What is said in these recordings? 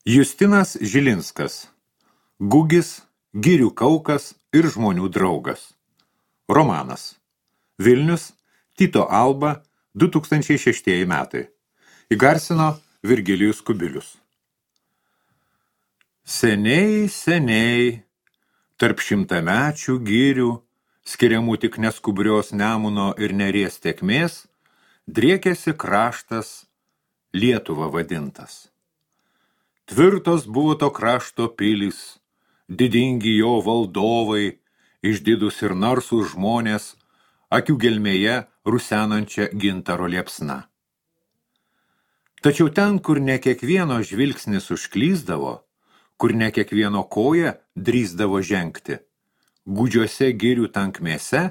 Justinas Žilinskas. Gugis, girių kaukas ir žmonių draugas. Romanas. Vilnius, Tyto Alba, 2006 metai. Įgarsino Virgilijus Kubilius. Seniai, seniai, tarp šimtamečių girių, skiriamų tik neskubrios Nemuno ir Neries tėkmės, driekėsi kraštas Lietuva vadintas. Tvirtos buvo to krašto pilys, didingi jo valdovai, išdidus ir narsūs žmonės, akių gelmėje rusenančia gintaro liepsna. Tačiau ten, kur ne kiekvieno žvilgsnis užklysdavo, kur ne kiekvieno koja drįsdavo žengti, gūdžiuose girių tankmėse,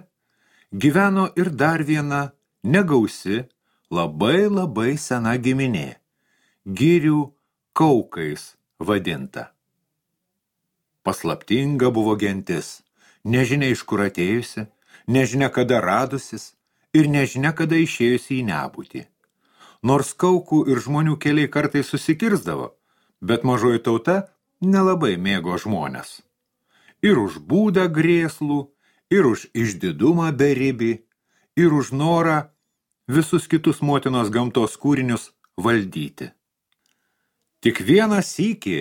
gyveno ir dar viena negausi, labai sena giminė, girių kaukais vadinta. Paslaptinga buvo gentis, nežinia iš kur atėjusi, nežinia kada radusis ir nežinia kada išėjusi į nebūtį. Nors kaukų ir žmonių keliai kartais susikirsdavo, bet mažoji tauta nelabai mėgo žmones. Ir už būdą grėslų, ir už išdidumą beribį, ir už norą visus kitus motinos gamtos kūrinius valdyti. Tik vieną sykį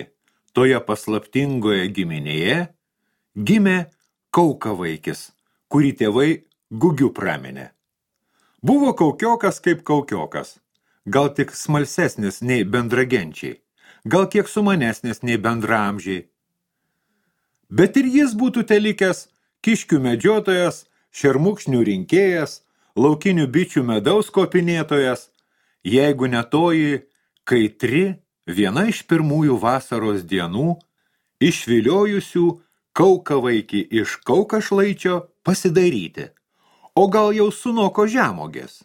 toje paslaptingoje giminėje gimė kaukavaikis, kurį tėvai gugiu praminė. Buvo kaukiokas kaip kaukiokas, gal tik smalsesnis nei bendragenčiai, gal kiek sumanesnis nei bendraamžiai. Bet ir jis būtų telikęs kiškių medžiotojas, šermukšnių rinkėjas, laukinių bičių medaus kopinėtojas, jeigu ne toji kaitri, viena iš pirmųjų vasaros dienų, išviliojusių kaukavaikį iš kaukašlaičio pasidaryti, o gal jau sunoko žemogės.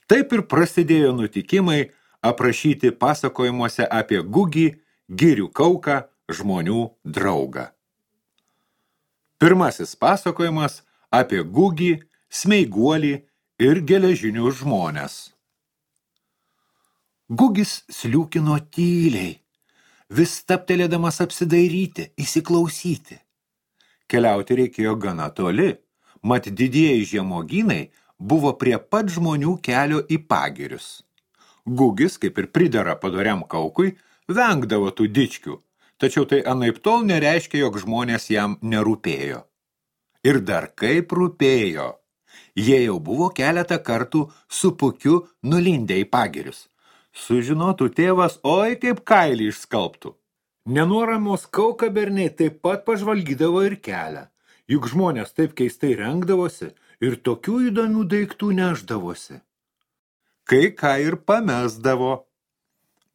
Taip ir prasidėjo nutikimai aprašyti pasakojimuose apie Gugį, girių kauką, žmonių draugą. Pirmasis pasakojimas apie Gugį, smeiguolį ir geležinius žmones. Gugis sliūkino tyliai, vis stabtelėdamas apsidairyti, įsiklausyti. Keliauti reikėjo gana toli, mat didieji žemogynai buvo prie pat žmonių kelio į pagirius. Gugis, kaip ir pridera padoriam kaukui, vengdavo tų dičkių, tačiau tai anaiptol nereiškia, jog žmonės jam nerūpėjo. Ir dar kaip rūpėjo. Jie jau buvo keletą kartų su pukiu nulindę į pagirius. Sužinotų tėvas, oi kaip kailį išskalbtų. Nenuoramos kaukaberniai taip pat pažvalgydavo ir kelią, juk žmonės taip keistai rengdavosi ir tokių įdomių daiktų nešdavosi. Kai ką ir pamesdavo.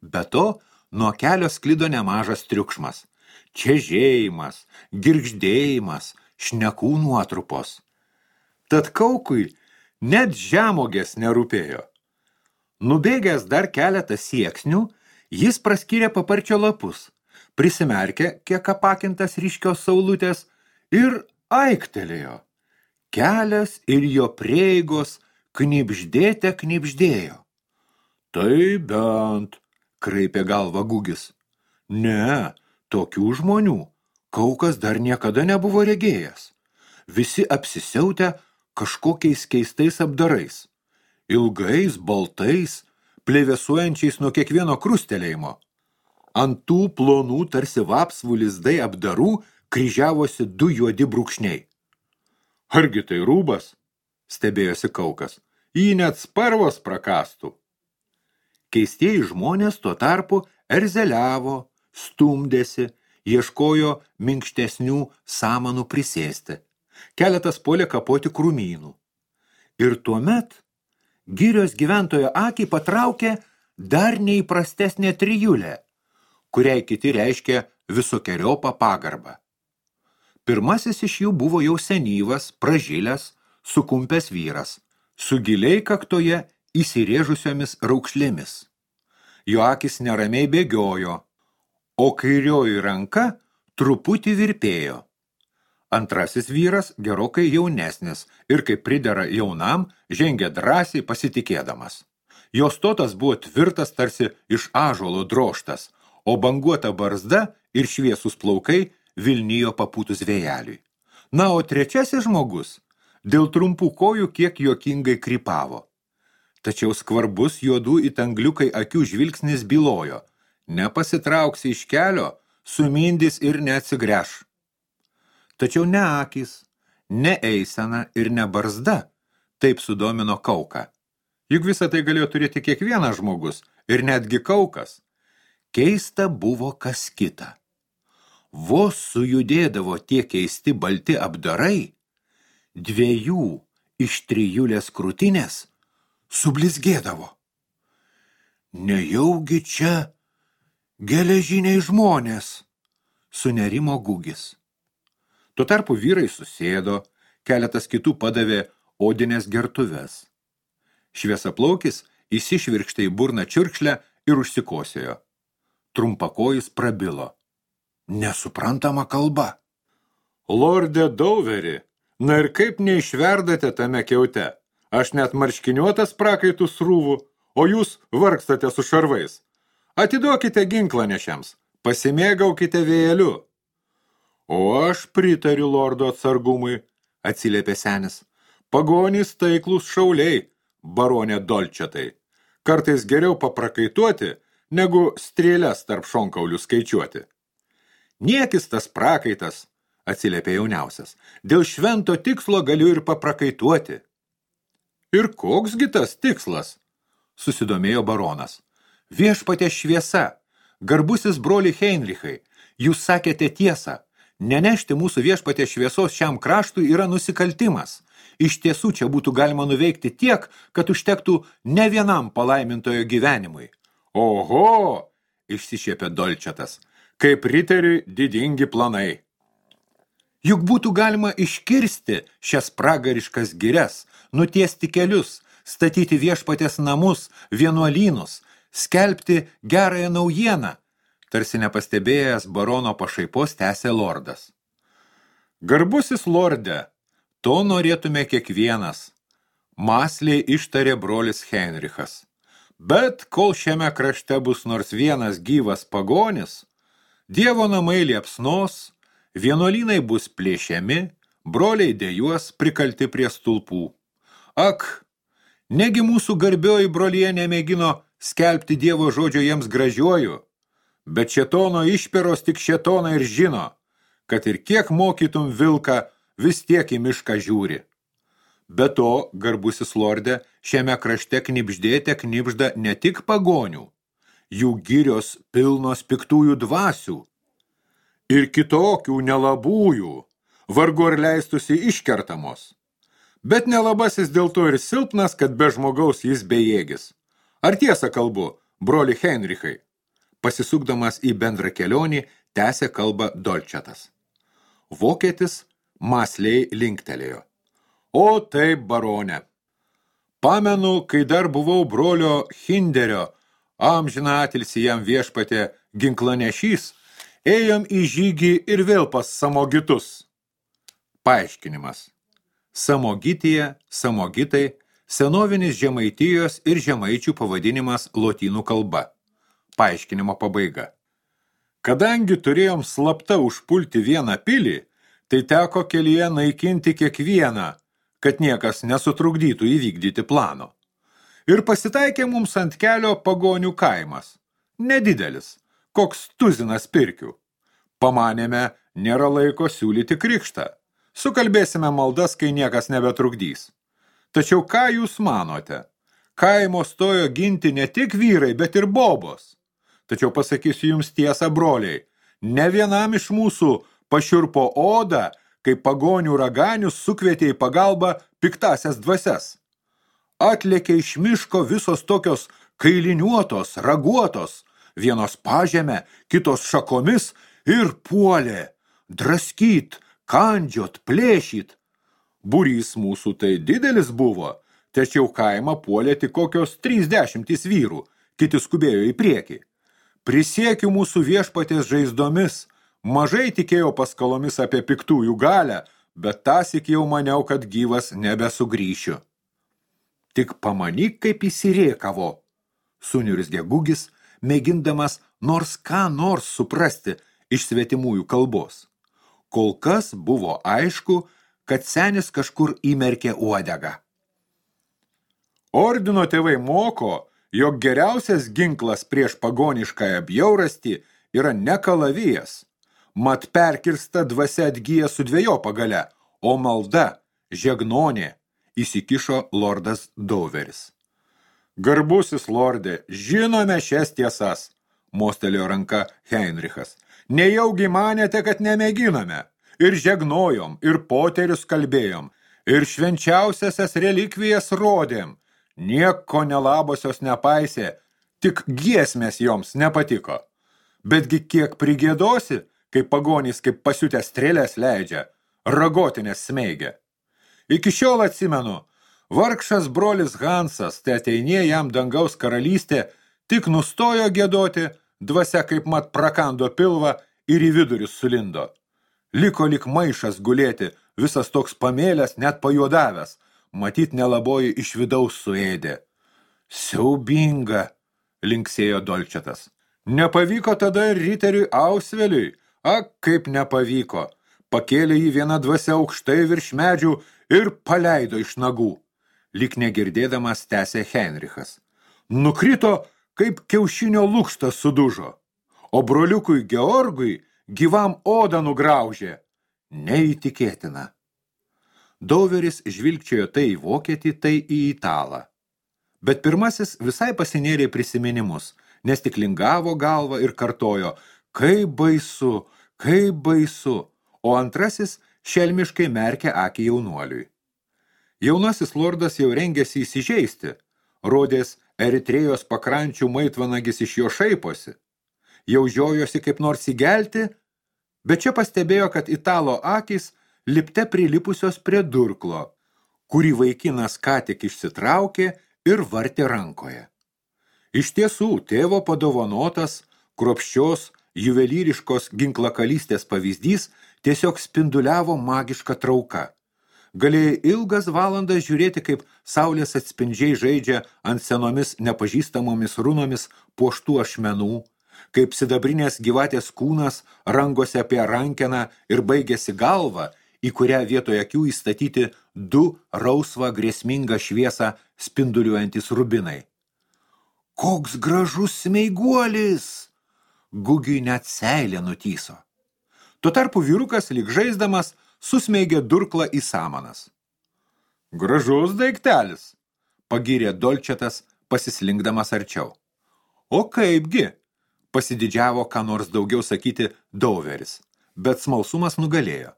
Be to, nuo kelio sklido nemažas triukšmas, čežėjimas, girgždėjimas, šnekų nuotrupos. Tad kaukui net žemogės nerūpėjo. Nubėgęs dar keletą sieksnių, jis praskyrė paparčio lapus, prisimerkė kiek apakintas ryškios saulutės ir aiktelėjo. Kelias ir jo prieigos knibždėjo. Tai bent, kraipė galvą Gugis. Ne, tokių žmonių kaukas dar niekada nebuvo regėjęs. Visi apsisiautę kažkokiais keistais apdarais. Ilgais, baltais, plevėsuojančiais nuo kiekvieno krustelėjimo. Ant tų plonų tarsi vapsvų lizdai apdarų kryžiavosi du juodi brūkšniai. Argi tai rūbas? Stebėjosi kaukas. Jį net sparvos prakastų. Keistieji žmonės tuo tarpu erzeliavo, stumdėsi, ieškojo minkštesnių samanų prisėsti. Keletas puolė kapoti krūmynų. Ir tuomet girios gyventojo akį patraukė dar neįprastesnė trijulė, kuriai kiti reiškia visokeriopą pagarbą. Pirmasis iš jų buvo jau senyvas, pražilęs, sukumpęs vyras, su giliai kaktoje įsirėžusiomis raukšlėmis. Jo akis neramiai bėgiojo, o kairioji ranka truputį virpėjo. Antrasis vyras gerokai jaunesnis ir, kaip pridera jaunam, žengė drąsiai pasitikėdamas. Jo stotas buvo tvirtas tarsi iš ąžuolo drožtas, o banguota barzda ir šviesus plaukai vilnijo papūtus vėjeliui. Na, o trečiasis žmogus dėl trumpų kojų kiek juokingai krypavo. Tačiau skvarbus juodų it angliukai akių žvilgsnis bylojo. Nepasitrauksi iš kelio, sumindys ir neatsigręš. Tačiau ne akys, ne eisena ir ne barzda taip sudomino Kauką. Juk visą tai galėjo turėti kiekvienas žmogus ir netgi Kaukas. Keista buvo kas kita. Vos sujudėdavo tie keisti balti apdarai, 2 iš 3 krūtinės sublizgėdavo. Nejaugi čia geležiniai žmonės, sunerimo Gugis. Tuo tarpu vyrai susėdo, keletas kitų padavė odinės gertuves. Šviesaplaukis įsišvirkštė į burną čiurkšlę ir užsikosėjo. Trumpakojis prabilo. Nesuprantama kalba. Lorde Dauveri, na ir kaip neišverdate tame kiaute? Aš net marškiniuotas prakaitų srūvų, o jūs vargstate su šarvais. Atiduokite ginklą nešiams, pasimėgaukite vėjeliu. O aš pritariu lordo atsargumui, atsiliepė senis. Pagonys taiklus šauliai, baronė Dolčetai. Kartais geriau paprakaituoti, negu strėles tarp šonkaulių skaičiuoti. Niekis tas prakaitas, atsiliepė jauniausias. Dėl švento tikslo galiu ir paprakaituoti. Ir koksgi tas tikslas? Susidomėjo baronas. Viešpatė šviesa, garbusis broli Heinrichai, jūs sakėte tiesą. Nenešti mūsų viešpatė šviesos šiam kraštui yra nusikaltimas. Iš tiesų čia būtų galima nuveikti tiek, kad užtektų ne vienam palaimintojo gyvenimui. Oho, išsišiepė Dolčetas, kaip riteriui didingi planai. Juk būtų galima iškirsti šias pragariškas girias, nutiesti kelius, statyti viešpatės namus, vienuolynus, skelbti gerąją naujieną, tarsi nepastebėjęs barono pašaipos tęsė lordas. Garbusis lorde, to norėtume kiekvienas, mąsliai ištarė brolis Heinrichas. Bet kol šiame krašte bus nors vienas gyvas pagonis, Dievo namai liepsnos, vienuolynai bus plėšiami, broliai dejuos prikalti prie stulpų. Ak, negi mūsų garbioji brolyje nemėgino skelbti Dievo žodžio jiems gražiuoju, bet šėtono išperos tik šėtoną ir žino, kad ir kiek mokytum vilką, vis tiek į mišką žiūri. Be to, garbusis lorde, šiame krašte knibždėte knibžda ne tik pagonių, jų girios pilnos piktųjų dvasių ir kitokių nelabųjų, vargu ar leistusi iškertamos. Bet nelabasis dėl to ir silpnas, kad be žmogaus jis bejėgis. Ar tiesą kalbu, broli Heinrichai? Pasisukdamas į bendrą kelionį, tęsė kalbą Dolčetas. Vokietis mąsliai linktelėjo. O taip, baronė. Pamenu, kai dar buvau brolio Hinderio, amžiną atilsį jam viešpatė ginklanešys, ėjom į žygį ir vėl pas samogitus. Paaiškinimas. Samogitija, samogitai, senovinis Žemaitijos ir žemaičių pavadinimas lotynų kalba. Paaiškinimo pabaiga. Kadangi turėjom slapta užpulti vieną pilį, tai teko kelyje naikinti kiekvieną, kad niekas nesutrukdytų įvykdyti plano. Ir pasitaikė mums ant kelio pagonių kaimas. Nedidelis, koks tuzinas pirkių. Pamanėme, nėra laiko siūlyti krikštą. Sukalbėsime maldas, kai niekas nebetrukdys. Tačiau ką jūs manote? Kaimo stojo ginti ne tik vyrai, bet ir bobos. Tačiau pasakysiu jums tiesą, broliai, ne vienam iš mūsų pašiurpo odą, kai pagonių raganius sukvietė į pagalbą piktasias dvasias. Atlėkė iš miško visos tokios kailiniuotos, raguotos, vienos pažemė, kitos šakomis ir puolė, draskyt, kandžiot, plėšyt. Būrys mūsų tai didelis buvo, tačiau kaimą puolė tik kokios 30 vyrų, kiti skubėjo į priekį. Prisiekiu mūsų viešpatės žaizdomis, mažai tikėjau paskalomis apie piktųjų galią, bet tąsyk jau maniau, kad gyvas nebesugrįšiu. Tik pamanyk, kaip įsirėkavo, suniurzgė Gugis, mėgindamas nors ką nors suprasti iš svetimųjų kalbos. Kol kas buvo aišku, kad senis kažkur įmerkė uodegą. Ordino tėvai moko, jog geriausias ginklas prieš pagoniškąją bjaurastį yra ne kalavijas, mat perkirsta dvasia atgyja su dvejopą gale, o malda, žegnonė, įsikišo lordas Dauveris. Garbusis lorde, žinome šias tiesas, mostelėjo ranka Heinrichas. Nejaugi manėte, kad nemėginome. Ir žegnojom, ir poterius kalbėjom, ir švenčiausiasias relikvijas rodėm. Nieko nelabosios nepaisė, tik giesmės joms nepatiko. Betgi kiek prigėdosi, kai pagonys kaip pasiutę strėlės leidžia, ragotinės smeigia. Iki šiol atsimenu, vargšas brolis Hansas, te ateinė jam dangaus karalystė, tik nustojo giedoti, dvasia kaip mat prakando pilvą ir į vidurius sulindo. Liko lyg maišas gulėti, visas toks pamėlęs, net pajuodavęs, matyt nelaboji iš vidaus suėdė. Siaubinga, linksėjo Dolčetas. Nepavyko tada ir riteriui Ausveliui, kaip nepavyko. Pakėlė jį viena dvasia aukštai virš medžių ir paleido iš nagų. Lyg negirdėdamas tęsė Heinrichas. Nukrito, kaip kiaušinio lukštas sudužo, o broliukui Georgui gyvam odą nugraužė. Neįtikėtina. Dauveris žvilgčiojo tai į vokietį, tai į italą. Bet pirmasis visai pasinėrė prisiminimus, nes tik lingavo galvą ir kartojo, kaip baisu, o antrasis šelmiškai merkė akį jaunuoliui. Jaunasis lordas jau rengėsi įsižeisti, rodės Eritrėjos pakrančių maitvanagis iš jo šaiposi. Jau žiojosi kaip nors įgelti, bet čia pastebėjo, kad italo akys lipte prilipusios prie durklo, kurį vaikinas ką tik išsitraukė ir vartė rankoje. Iš tiesų, tėvo padovanotas, kruopščios, juvelyriškos ginklakalystės pavyzdys tiesiog spinduliavo magišką trauką. Galėjai ilgas valandas žiūrėti, kaip saulės atspindžiai žaidžia ant senomis nepažįstamomis runomis puoštų ašmenų, kaip sidabrinės gyvatės kūnas rangosi apie rankeną ir baigėsi galvą, į kurią vietoje akių įstatyti du rausvą grėsmingą šviesą spinduliuojantis rubinai. Koks gražus smeiguolis! Gugiui net seilė nutyso. Tuo tarpu vyrukas, lyg žaisdamas, susmeigė durklą į samanas. Gražus daiktelis, pagyrė Dolčetas, pasislinkdamas arčiau. O kaipgi, pasididžiavo ką nors daugiau sakyti Dauveris, bet smalsumas nugalėjo.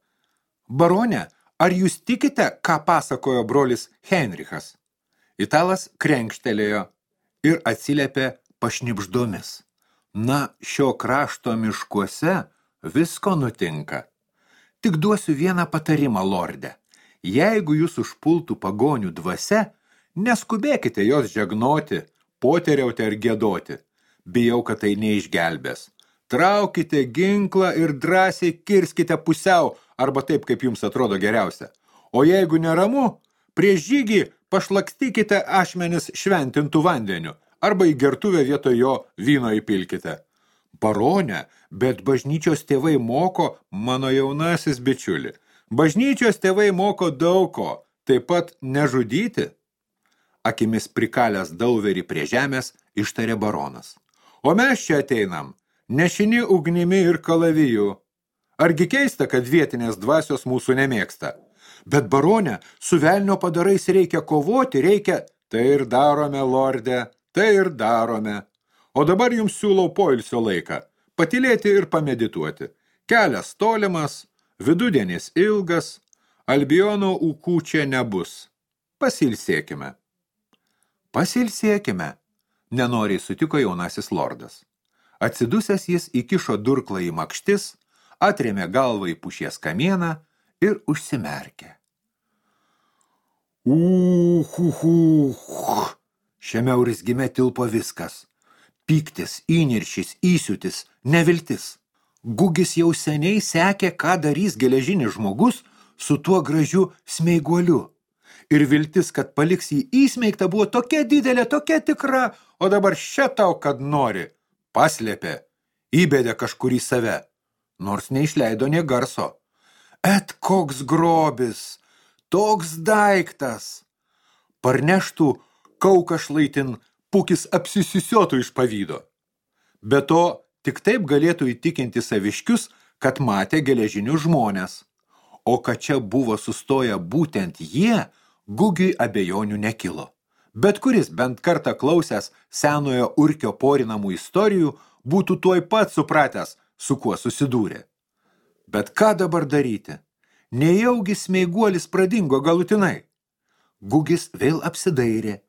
Barone, ar jūs tikite, ką pasakojo brolis Heinrichas? Italas krenkštelėjo ir atsiliepė pašnibždomis. Na, šio krašto miškuose visko nutinka. Tik duosiu vieną patarimą, lorde. Jeigu jūs užpultų pagonių dvasia, neskubėkite jos žegnoti, poteriauti ar giedoti. Bijau, kad tai neišgelbės. Traukite ginklą ir drąsiai kirskite pusiau, arba taip, kaip jums atrodo geriausia. O jeigu neramu, prieš žygį pašlakstykite ašmenis šventintų vandeniu, arba į gertuvę vietoj jo vyno įpilkite. Barone, bet bažnyčios tėvai moko, mano jaunasis bičiuli. Bažnyčios tėvai moko daug ko, taip pat nežudyti. Akimis prikalęs Dauverį prie žemės, ištarė baronas. O mes čia ateinam, nešini ugnimi ir kalaviju. Argi keista, kad vietinės dvasios mūsų nemėgsta? Bet barone, su velnio padarais reikia kovoti, reikia... Tai ir darome, lorde, tai ir darome. O dabar jums siūlau poilsio laiką, patylėti ir pamedituoti. Kelias tolimas, vidudienis ilgas, Albiono ūkų čia nebus. Pasilsėkime. Pasilsėkime, nenoriai sutiko jaunasis lordas. Atsidusęs jis įkišo durklą į makštis, atrėmė galvą į pušies kamieną ir užsimerkė. Šiame urzgime tilpo viskas. Pyktis, įniršis, įsiūtis, neviltis. Gugis jau seniai sekė, ką darys geležinis žmogus su tuo gražiu smeiguoliu. Ir viltis, kad paliks jį įsmeigtą, buvo tokia didelė, tokia tikra, o dabar še tau, kad nori. paslėpė, įbedė kažkur į save, nors neišleido nė garso. Et koks grobis, toks daiktas. Parneštų kauką šlaitin, pukis apsisisiotų iš pavydo. Be to, tik taip galėtų įtikinti saviškius, kad matė geležinius žmonės. O kad čia buvo sustoję būtent jie, Gugiui abejonių nekilo. Bet kuris bent kartą klausęs senojo Urkio porinamų istorijų, būtų tuoj pat supratęs, su kuo susidūrė. Bet ką dabar daryti? Nejaugi smeiguolis pradingo galutinai. Gugis vėl apsidairė,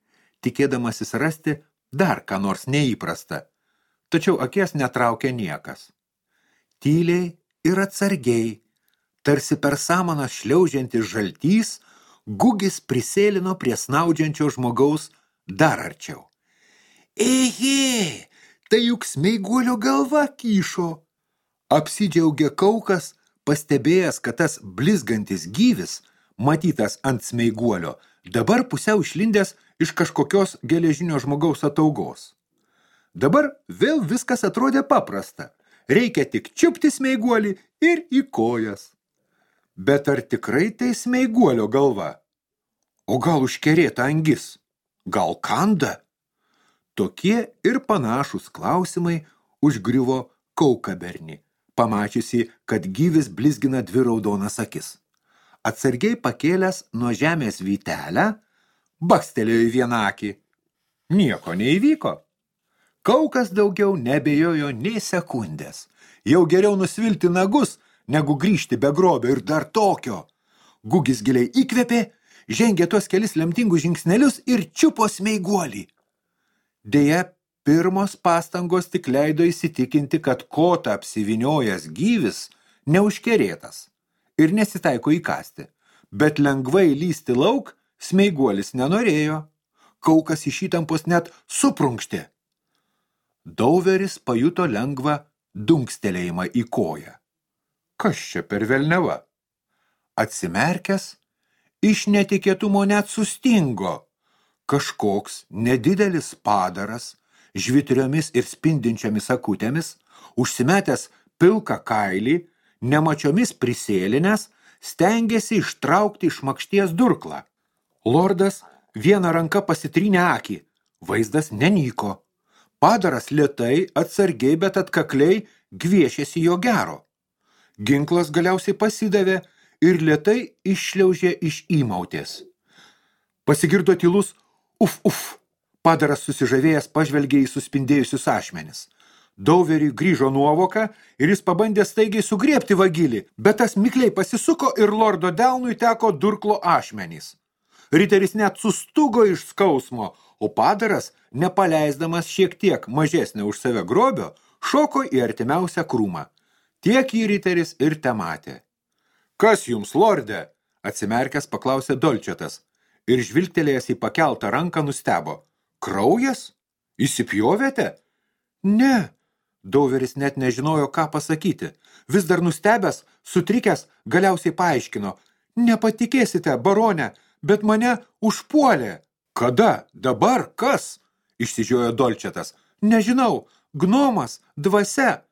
tikėdamasis rasti dar ką nors neįprasta. Tačiau akies netraukė niekas. Tyliai ir atsargiai, tarsi per samanas šliaužiantis žaltys, Gugis prisėlino prie snaudžiančio žmogaus dar arčiau. Ehe, tai juk smeiguolio galva kyšo. Apsidžiaugė kaukas, pastebėjęs, kad tas blizgantis gyvis, matytas ant smeiguolio, dabar pusiau išlindęs iš kažkokios geležinio žmogaus ataugos. Dabar vėl viskas atrodė paprasta. Reikia tik čiupti smeiguolį ir į kojas. Bet ar tikrai tai smeiguolio galva? O gal užkerėta angis? Gal kanda? Tokie ir panašūs klausimai užgriuvo kaukabernį, pamačiusi, kad gyvis blizgina dvi raudonas akis. Atsargiai pakėlęs nuo žemės vytelę, bakstelėjo į vieną akį. Nieko neįvyko. Kaukas daugiau nebejojo nei sekundės. Jau geriau nusvilti nagus, negu grįžti be grobio ir dar tokio. Gugis giliai įkvėpė, žengė tuos kelis lemtingus žingsnelius ir čiupo smeiguolį. Deja, pirmos pastangos tik leido įsitikinti, kad kotą apsiviniojęs gyvis neužkerėtas ir nesitaiko įkasti, bet lengvai lysti lauk smeiguolis nenorėjo. Kaukas iš įtampos net suprunkštė. Dauveris pajuto lengvą dunkstelėjimą į koją. Kas čia per velneva? Atsimerkęs, iš netikėtumo net sustingo. Kažkoks nedidelis padaras, žvitriomis ir spindinčiomis akutėmis, užsimetęs pilką kailį, nemačiomis prisėlinęs, stengėsi ištraukti iš makšties durklą. Lordas vieną ranką pasitrynė akį, vaizdas nenyko. Padaras lėtai, atsargiai, bet atkakliai gviešėsi jo gero. Ginklas galiausiai pasidavė ir lėtai iššliaužė iš įmautės. Pasigirdo tylus uf. Padaras susižavėjęs pažvelgė į suspindėjusius ašmenis. Dauveriui grįžo nuovoka ir jis pabandė staigiai sugriebti vagilį, bet tas mikliai pasisuko ir lordo delnui teko durklo ašmenys. Riteris net sustugo iš skausmo, o padaras, nepaleisdamas šiek tiek mažesnio už save grobio, šoko į artimiausią krūmą. Tiek jį riteris ir tematė. Kas jums, lorde? Atsimerkęs paklausė Dolčetas ir žvilgtelėjęs į pakeltą ranką nustebo. Kraujas? Įsipjovėte? Ne. Dauveris net nežinojo, ką pasakyti. Vis dar nustebęs, sutrikęs, galiausiai paaiškino. Nepatikėsite, barone, bet mane užpuolė. Kada? Dabar? Kas? Išsižiojo Dolčetas. Nežinau, gnomas, dvasia.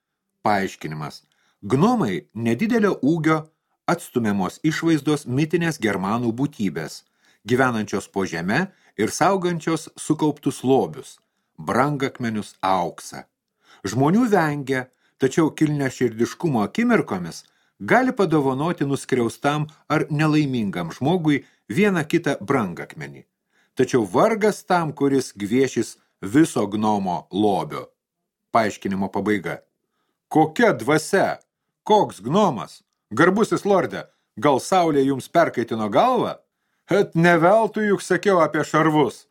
Paaiškinimas. Gnomai nedidelio ūgio, atstumiamos išvaizdos mitinės germanų būtybės, gyvenančios po žeme ir saugančios sukauptus lobius, brangakmenius auksą. Žmonių vengia, tačiau kilniaširdiškumo akimirkomis gali padovanoti nuskriaustam ar nelaimingam žmogui vieną kitą brangakmenį. Tačiau vargas tam, kuris gviešis viso gnomo lobio. Paaiškinimo pabaiga. Kokia dvasia? Koks gnomas? Garbusis lorde, gal saulė jums perkaitino galvą? Et neveltui juk sakiau apie šarvus.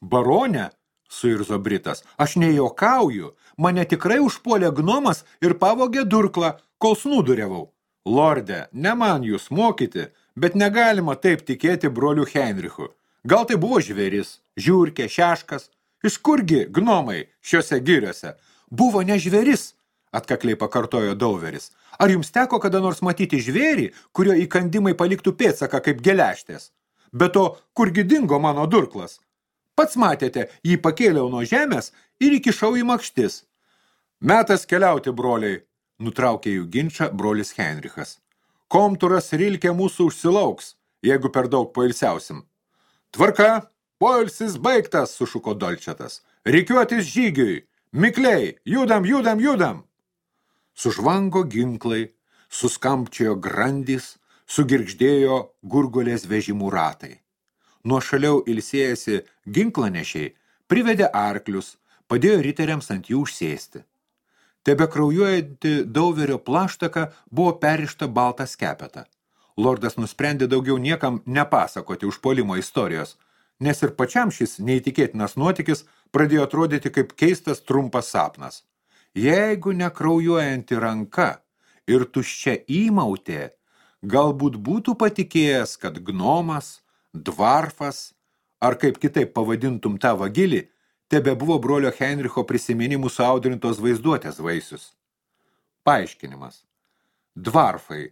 Barone, suirzo Britas, aš nejuokauju, mane tikrai užpuolė gnomas ir pavogė durklą, kol snūduriavau. Lorde, ne man jūs mokyti, bet negalima taip tikėti broliu Heinrichu. Gal tai buvo žvėris, žiurkė, šeškas? Iš kurgi gnomai šiuose giriuose? Buvo ne žvėris, atkakliai pakartojo Dauveris. Ar jums teko kada nors matyti žvėrį, kurio įkandimai paliktų pėdsaką kaip geleštės? Be to, kurgi dingo mano durklas? Pats matėte, jį pakėliau nuo žemės ir įkišau į makštis. Metas keliauti, broliai, nutraukė jų ginčą brolis Henrichas. Komturas Rilkė mūsų užsilauks, jeigu per daug poilsiausim. Tvarka, poilsis baigtas, sušuko Dolčetas. Rikiuotis žygiui, mikliai, judam. Sužvango ginklai, suskampčiojo grandys, sugirgždėjo gurgulės vežimų ratai. Nuo šaliau ilsėjasi ginklanešiai, privedė arklius, padėjo riteriams ant jų užsėsti. Tebe kraujuojanti Dauverio plaštaka buvo perišta baltą skepetą. Lordas nusprendė daugiau niekam nepasakoti užpuolimo istorijos, nes ir pačiam šis neįtikėtinas nuotykis pradėjo atrodyti kaip keistas trumpas sapnas. Jeigu nekraujuojanti ranka ir tuščia įmautė, galbūt būtų patikėjęs, kad gnomas, dvarfas, ar kaip kitaip pavadintum tą vagilį, tebe buvo brolio Henricho prisiminimų suaudrintos vaizduotės vaisius. Paaiškinimas. Dvarfai.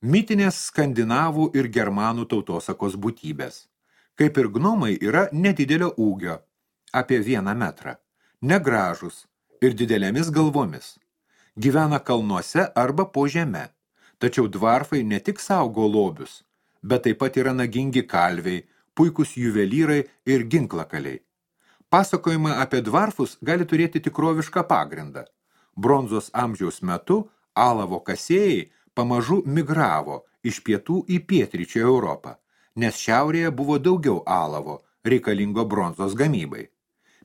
Mitinės skandinavų ir germanų tautosakos būtybės. Kaip ir gnomai yra nedidelio ūgio, apie 1 metrą, negražus ir didelėmis galvomis. Gyvena kalnuose arba po žeme, tačiau dvarfai ne tik saugo lobius, bet taip pat yra nagingi kalviai, puikus juvelyrai ir ginklakaliai. Pasakojimai apie dvarfus gali turėti tikrovišką pagrindą. Bronzos amžiaus metu alavo kasėjai pamažu migravo iš pietų į pietryčių Europą, nes šiaurėje buvo daugiau alavo, reikalingo bronzos gamybai.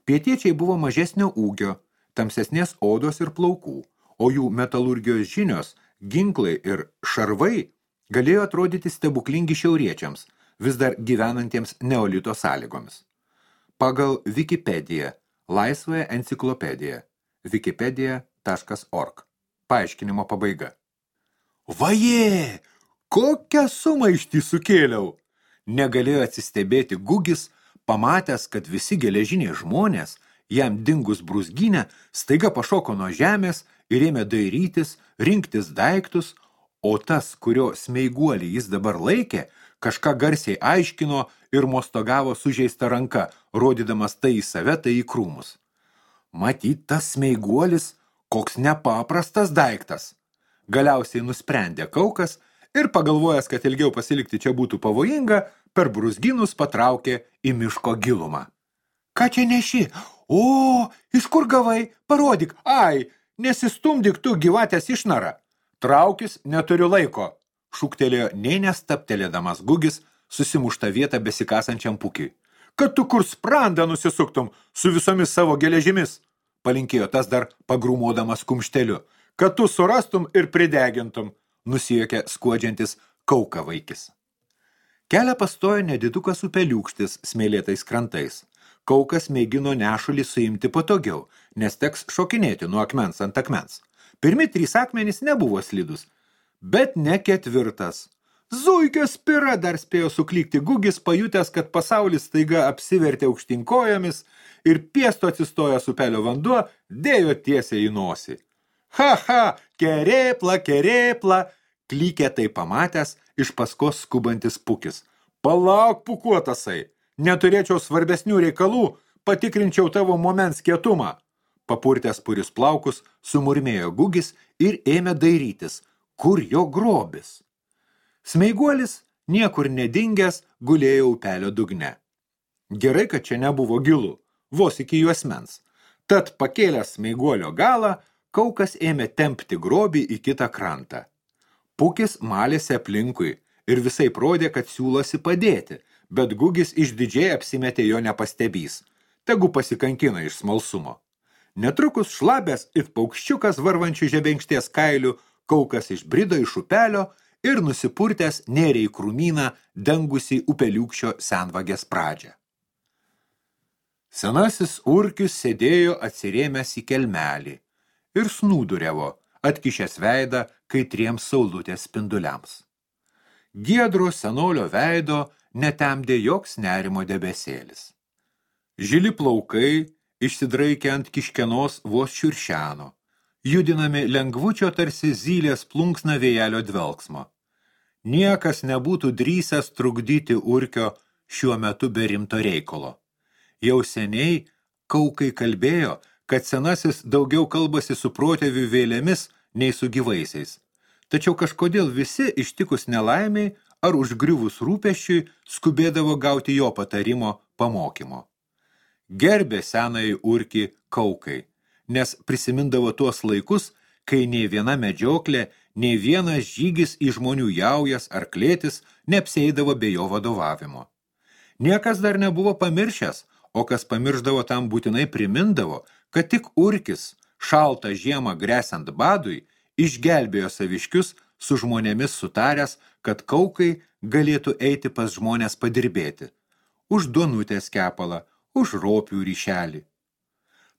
Pietiečiai buvo mažesnio ūgio, tamsesnės odos ir plaukų, o jų metalurgijos žinios, ginklai ir šarvai galėjo atrodyti stebuklingi šiauriečiams, vis dar gyvenantiems neolito sąlygomis. Pagal Wikipediją, laisvąją enciklopediją, wikipedia.org. Paaiškinimo pabaiga. Vajė! Kokią sumaištį sukėliau! Negalėjo atsistebėti Gugis, pamatęs, kad visi geležiniai žmonės, jam dingus brūzgynę, staiga pašoko nuo žemės ir ėmė dairytis, rinktis daiktus, o tas, kurio smeiguolį jis dabar laikė, kažką garsiai aiškino ir mostogavo sužeista ranka, rodydamas tai į save, tai į krūmus. Matyt, tas smeiguolis koks nepaprastas daiktas. Galiausiai nusprendė Kaukas ir pagalvojęs, kad ilgiau pasilikti čia būtų pavojinga, per brūzgynus patraukė į miško gilumą. Ką čia neši? O, iš kur gavai? Parodyk, ai, nesistumdyk tu gyvatės išnara. Traukis, neturiu laiko, šūktelėjo nei nestaptelėdamas Gugis susimuštą vietą besikasančiam pukiui. Kad tu kur sprandą nusisuktum su visomis savo geležimis, palinkėjo tas dar pagrūmodamas kumšteliu, kad tu surastum ir pridegintum, nusijuokė skuodžiantis Kauka vaikis. Kelią pastojo nedidukas upeliūkštis smėlėtais krantais. Kaukas mėgino nešulį suimti patogiau, nes teks šokinėti nuo akmens ant akmens. Pirmi 3 akmenys nebuvo slidus, bet ne 4. Zuikio spira dar spėjo suklykti Gugis, pajutęs, kad pasaulis staiga apsivertė aukštinkojomis ir piesto atsistojęs upelio vanduo dėjo tiesiai į nosį. Ha, kerėpla, klykė tai pamatęs iš paskos skubantis pukis. Palauk, pukuotasai, neturėčiau svarbesnių reikalų, patikrinčiau tavo moments kietumą. Papurtęs purius plaukus, sumurmėjo Gugis ir ėmė dairytis, kur jo grobis. Smeiguolis, niekur nedingęs, gulėjo upelio dugne. Gerai, kad čia nebuvo gilu, vos iki juosmens. Tad pakėlęs smeiguolio galą, Kaukas ėmė tempti grobį į kitą krantą. Pukis malėsi aplinkui ir visai rodė, kad siūlosi padėti, bet Gugis išdidžiai apsimetė jo nepastebys. Tegu pasikankina iš smalsumo. Netrukus šlabęs it paukščiukas varvančių žebenkšties kailių, Kaukas išbrido iš upelio ir nusipurtęs nėrė į krūmyną dengusį upeliūkščio senvagės pradžią. Senasis urkius sėdėjo atsirėmęs į kelmelį ir snūduriavo, atkišęs veidą kaitriems saulutės spinduliams. Giedro senolio veido netemdė joks nerimo debesėlis. Žili plaukai išsidraikė ant kiškenos vos šiuršeno, judinami lengvučio tarsi zylės plunksna vėjelio dvelksmo. Niekas nebūtų drįsęs trukdyti urkio šiuo metu be rimto reikalo. Jau seniai Kaukai kalbėjo, kad senasis daugiau kalbasi su protėvių vėlėmis nei su gyvaisiais. Tačiau kažkodėl visi ištikus nelaimiai ar užgriuvus rūpesčiui skubėdavo gauti jo patarimo pamokymo. Gerbė senąjį urkį kaukai, nes prisimindavo tuos laikus, kai nei viena medžioklė, nei vienas žygis į žmonių jaujas ar klėtis neapsieidavo be jo vadovavimo. Niekas dar nebuvo pamiršęs, o kas pamirždavo tam būtinai primindavo, kad tik urkis, šaltą žiemą gresiant badui, išgelbėjo saviškius su žmonėmis sutaręs, kad kaukai galėtų eiti pas žmonės padirbėti, už duonutės kepalą, už ropių ryšelį.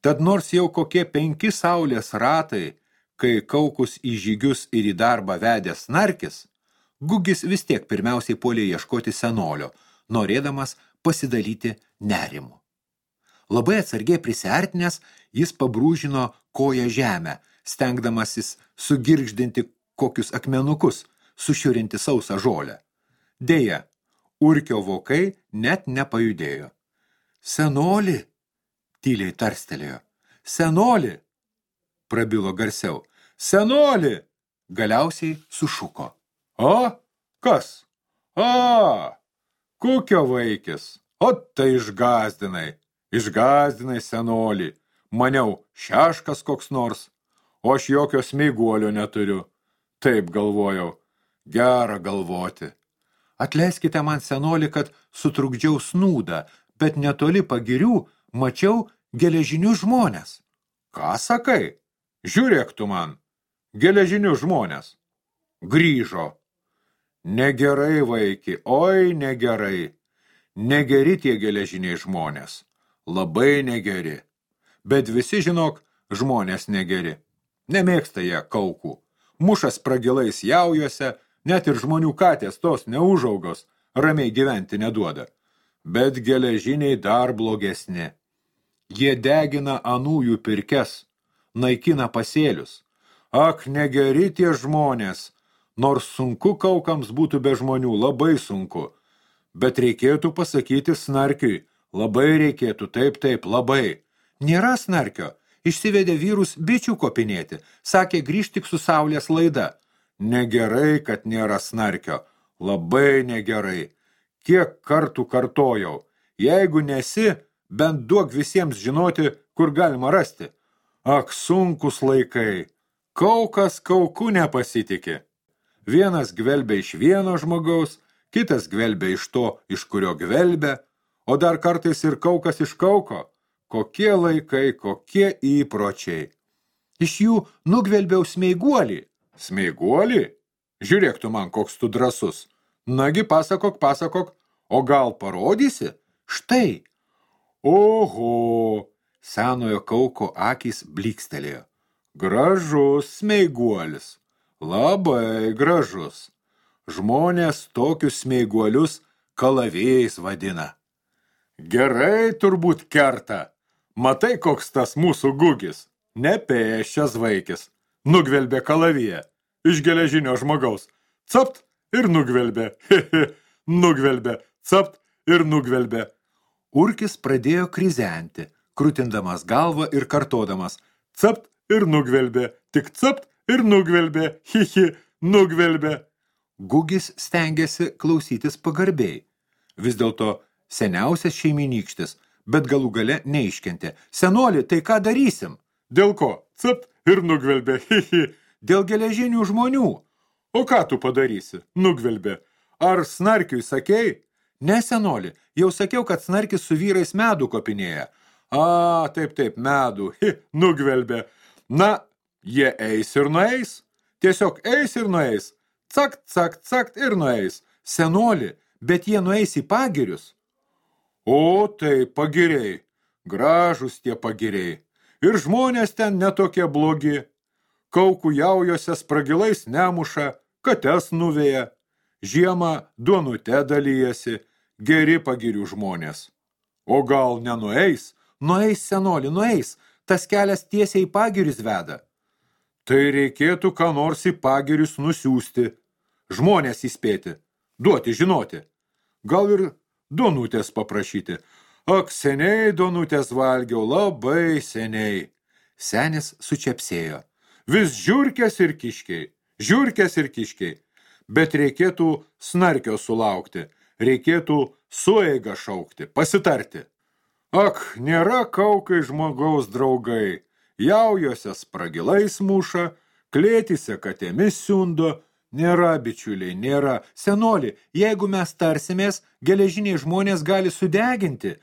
Tad nors jau kokie 5 saulės ratai, kai kaukus į žygius ir į darbą vedė snarkis, Gugis vis tiek pirmiausiai puolė ieškoti senolio, norėdamas pasidalyti nerimu. Labai atsargiai prisiartinęs, jis pabrūžino koją žemę, stengdamasis sugirgždinti kokius akmenukus, sušiurinti sausą žolę. Deja, urkio vokai net nepajudėjo. Senoli, tyliai tarstelėjo. Senoli, prabilo garsiau. Senoli, galiausiai sušuko. O, kas? A, kukio vaikis. O tai išgazdinai senolį. Maniau, šeškas koks nors, o aš jokio smeiguolio neturiu. Taip galvojau, gera galvoti. Atleiskite man, senoli, kad sutrukdžiau snūdą, bet netoli pagirių mačiau geležinius žmonės. Ką sakai? Žiūrėk tu man, geležinius žmonės. Grįžo. Negerai, vaiki, oi negerai. Negeri tie geležiniai žmonės. Labai negeri. Bet visi, žinok, žmonės negeri. Nemėgsta jie kaukų. Mušas pragilais jaujuose, net ir žmonių katės tos neužaugos, ramiai gyventi neduoda. Bet geležiniai dar blogesni. Jie degina anųjų pirkes, naikina pasėlius. Ak, negeri tie žmonės, nors sunku kaukams būtų be žmonių, labai sunku. Bet reikėtų pasakyti snarkiui, labai reikėtų, taip, labai. Nėra snarkio, išsivedė vyrus bičių kopinėti, sakė grįžt tik su saulės laida. Negerai, kad nėra snarkio, labai negerai. Kiek kartų kartojau, jeigu nesi, bent duok visiems žinoti, kur galima rasti. Ak, sunkus laikai, kaukas kauku nepasitikė. Vienas gvelbia iš vieno žmogaus, kitas gvelbia iš to, iš kurio gvelbia, o dar kartais ir kaukas iš kauko. Kokie laikai, kokie įpročiai. Iš jų nugvelbiau smeiguolį. Smeiguolį? Žiūrėk tu man, koks tu drąsus. Nagi, pasakok, o gal parodysi? Štai. Oho, senojo kauko akys blykstelėjo. Gražus smeiguolis. Labai gražus. Žmonės tokius smeiguolius kalavėjais vadina. Gerai turbūt kerta. Matai, koks tas mūsų Gugis. Nepėščias vaikis. Nugvelbė kalaviją. Iš geležinio žmogaus. Capt ir nugvelbė. Nugvelbė. Capt ir nugvelbė. Urkis pradėjo krizenti, krutindamas galvą ir kartodamas. Capt ir nugvelbė. Tik capt ir nugvelbė. Nugvelbė. Gugis stengėsi klausytis pagarbiai. Vis dėlto seniausias šeiminykštis, bet galų gale neiškentė. Senoli, tai ką darysim? Dėl ko? Capt ir nugvelbė. Dėl geležinių žmonių. O ką tu padarysi? Nugvelbė. Ar snarkiui sakei? Ne, senoli, jau sakiau, kad snarkis su vyrais medų kopinėja. A, taip, medų. Nugvelbė. Na, jie eis ir nueis. Tiesiog eis ir nueis. Cakt ir nueis. Senoli, bet jie nueis į pagirius. O, tai pagiriai. Gražus tie pagiriai. Ir žmonės ten netokie blogi. Kaukų jaujose spragilais nemuša, kates nuveja. Žiemą duonute dalyjasi, geri pagirių žmonės. O gal nenueis? Nueis, senoli, nueis. Tas kelias tiesiai į pagirius veda. Tai reikėtų ką nors į pagirius nusiųsti. Žmonės įspėti, duoti žinoti. Gal ir duonutės paprašyti. Ak, seniai duonutės valgiau, labai seniai. Senis sučepsėjo. Vis žiurkės ir kiškiai. Bet reikėtų snarkio sulaukti, reikėtų sueigą šaukti, pasitarti. Ak, nėra kaukai žmogaus draugai, jaujose spragilais muša, klėtise katėmis siundo, nėra, bičiuliai, nėra. Senoli, jeigu mes tarsimės, geležiniai žmonės gali sudeginti,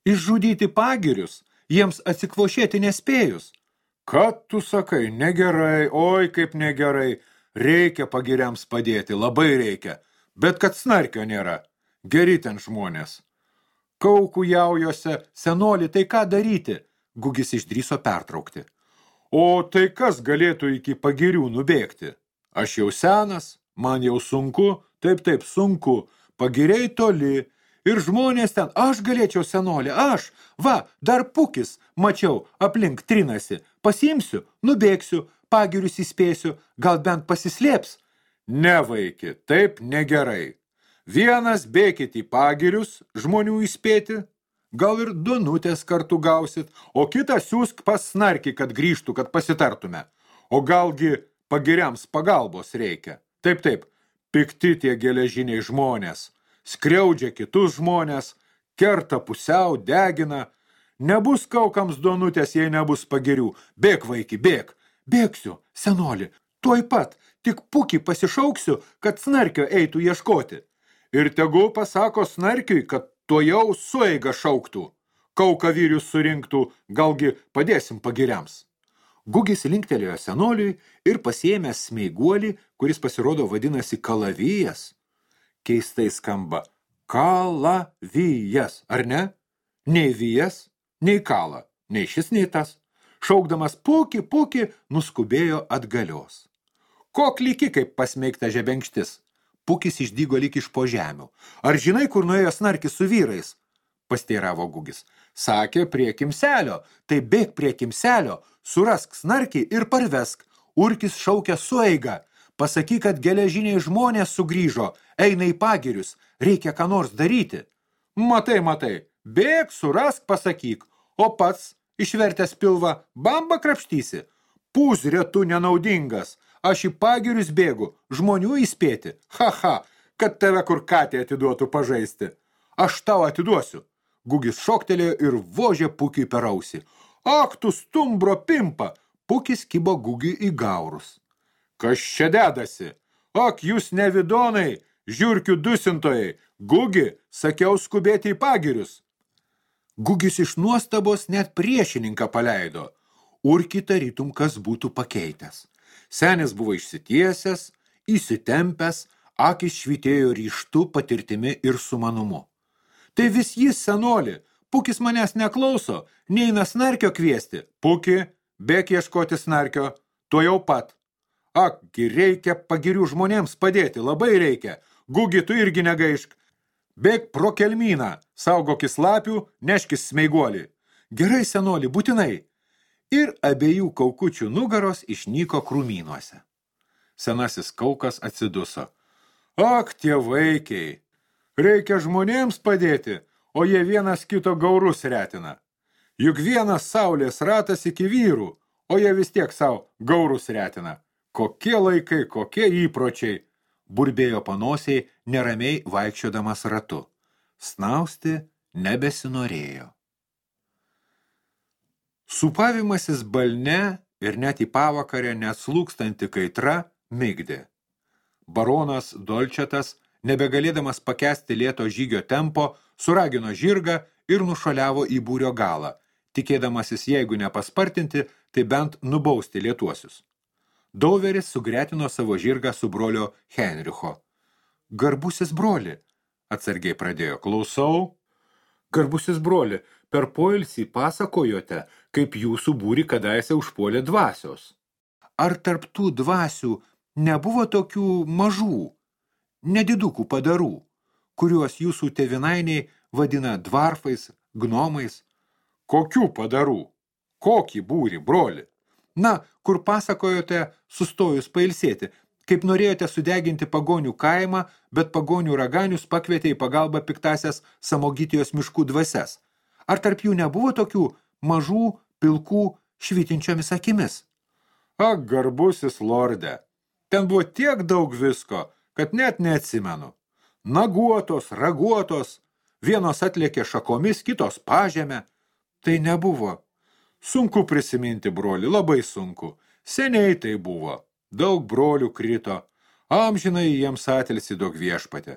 išžudyti pagirius, jiems atsikvošėti nespėjus. Kad tu sakai, negerai, oi kaip negerai, reikia pagiriams padėti, labai reikia, bet kad snarkio nėra, geri ten žmonės. Kaukų jaujose, senoli, tai ką daryti? Gugis išdrįso pertraukti. O tai kas galėtų iki pagirių nubėgti? Aš jau senas, man jau sunku, taip sunku, pagiriai toli, ir žmonės ten, aš galėčiau senoli, aš, va, dar pukis, mačiau, aplink trinasi, pasiimsiu, nubėgsiu, pagirius įspėsiu, gal bent pasislėps. Ne, vaiki, taip negerai. Vienas bėkit į pagirius, žmonių įspėti, gal ir Donutės kartu gausit, o kitą siūsk pas snarkį, kad grįžtų, kad pasitartume. O galgi pagiriams pagalbos reikia. Taip, pikti tie geležiniai žmonės, skriaudžia kitus žmonės, kerta pusiau, degina. Nebus kaukams Donutės, jei nebus pagirių. Bėk, vaiki, bėk. Bėgsiu, senoli, tuoj pat, tik pukį pasišauksiu, kad snarkio eitų ieškoti. Ir tegu pasako snarkiui, kad tuojau sueigą šauktų. Kaukavyrius surinktų, galgi padėsim pagiriams. Gugis linktelėjo senoliui ir pasiėmęs smeiguolį, kuris pasirodo vadinasi kalavijas. Keistai skamba kalavijas, ar ne? Nei vijas, nei kala, nei šis, nei tas. Šaukdamas puki, nuskubėjo atgalios. Kok lyki, kaip pasmeigta žebenkštis. Pukis išdygo lyg iš po žemių. Ar žinai, kur nuėjo snarkis su vyrais? Pasteiravo Gugis. Sakė, prie kimselio. Tai bėk prie kimselio, surask snarkį ir parvesk. Urkis šaukia sueigą. Pasakyk, kad geležiniai žmonės sugrįžo, eina į pagirius, reikia ką nors daryti. Matai, bėk, surask, pasakyk, o pats išvertęs pilvą, bamba krapštysi. Pūzrė tu nenaudingas, aš į pagirius bėgu, žmonių įspėti. Kad tave kur katė atiduotų pažaisti. Aš tau atiduosiu. Gugis šoktelėjo ir vožė Pukiui per ausį. Ak, tu stumbro pimpa! Pukis kibo Gugiui į gaurus. Kas čia dedasi? Ak, jūs nevidonai, žiurkių dusintojai. Gugi, sakiau skubėti į pagirius. Gugis iš nuostabos net priešininką paleido. Urkį tarytum, kas būtų pakeitęs. Senis buvo išsitiesęs, įsitempęs, akis švytėjo ryžtu, patirtimi ir sumanumu. Tai vis jis, senoli, Pukis manęs neklauso, neina snarkio kviesti. Puki, bėk ieškoti snarkio, tuojau pat. Akgi reikia pagirių žmonėms padėti, labai reikia. Gugi, tu irgi negaišk. Bėk pro kelmyną, saugokis lapių, neškis smeiguolį. Gerai, senoli, būtinai. Ir abiejų kaukučių nugaros išnyko krūmynuose. Senasis kaukas atsiduso. Ak, tie vaikiai, reikia žmonėms padėti, o jie vienas kito gaurus retina. Juk vienas saulės ratas iki vyrų, o jie vis tiek savo gaurus retina. Kokie laikai, kokie įpročiai, burbėjo panosiai, neramiai vaikščiodamas ratu. Snausti nebesinorėjo. Supavimasis balne ir net į pavakarę neatslūkstanti kaitra migdė. Baronas Dolčetas, nebegalėdamas pakęsti lėto žygio tempo, suragino žirgą ir nušuoliavo į būrio galą, tikėdamasis, jeigu nepaspartinti, tai bent nubausti lėtuosius. Dauveris sugretino savo žirgą su brolio Henricho. Garbusis broli, atsargiai pradėjo, klausau. Garbusis broli, per poilsį pasakojote, kaip jūsų būrį kadaise užpuolė dvasios. Ar tarp tų dvasių nebuvo tokių mažų, nedidukų padarų, kuriuos jūsų tėvinainiai vadina dvarfais, gnomais? Kokių padarų? Kokį būrį, broli? Na, kur pasakojote sustojus pailsėti, kaip norėjote sudeginti pagonių kaimą, bet pagonių raganius pakvietė į pagalbą piktasias Samogitijos miškų dvasias. Ar tarp jų nebuvo tokių mažų, pilkų, švytinčiomis akimis. Ak, garbusis lorde, ten buvo tiek daug visko, kad net neatsimenu. Naguotos, raguotos, vienos atlėkė šakomis, kitos pažemę. Tai nebuvo. Sunku prisiminti, broli, labai sunku. Seniai tai buvo. Daug brolių krito. Amžinai jiems atilsi duok viešpatė.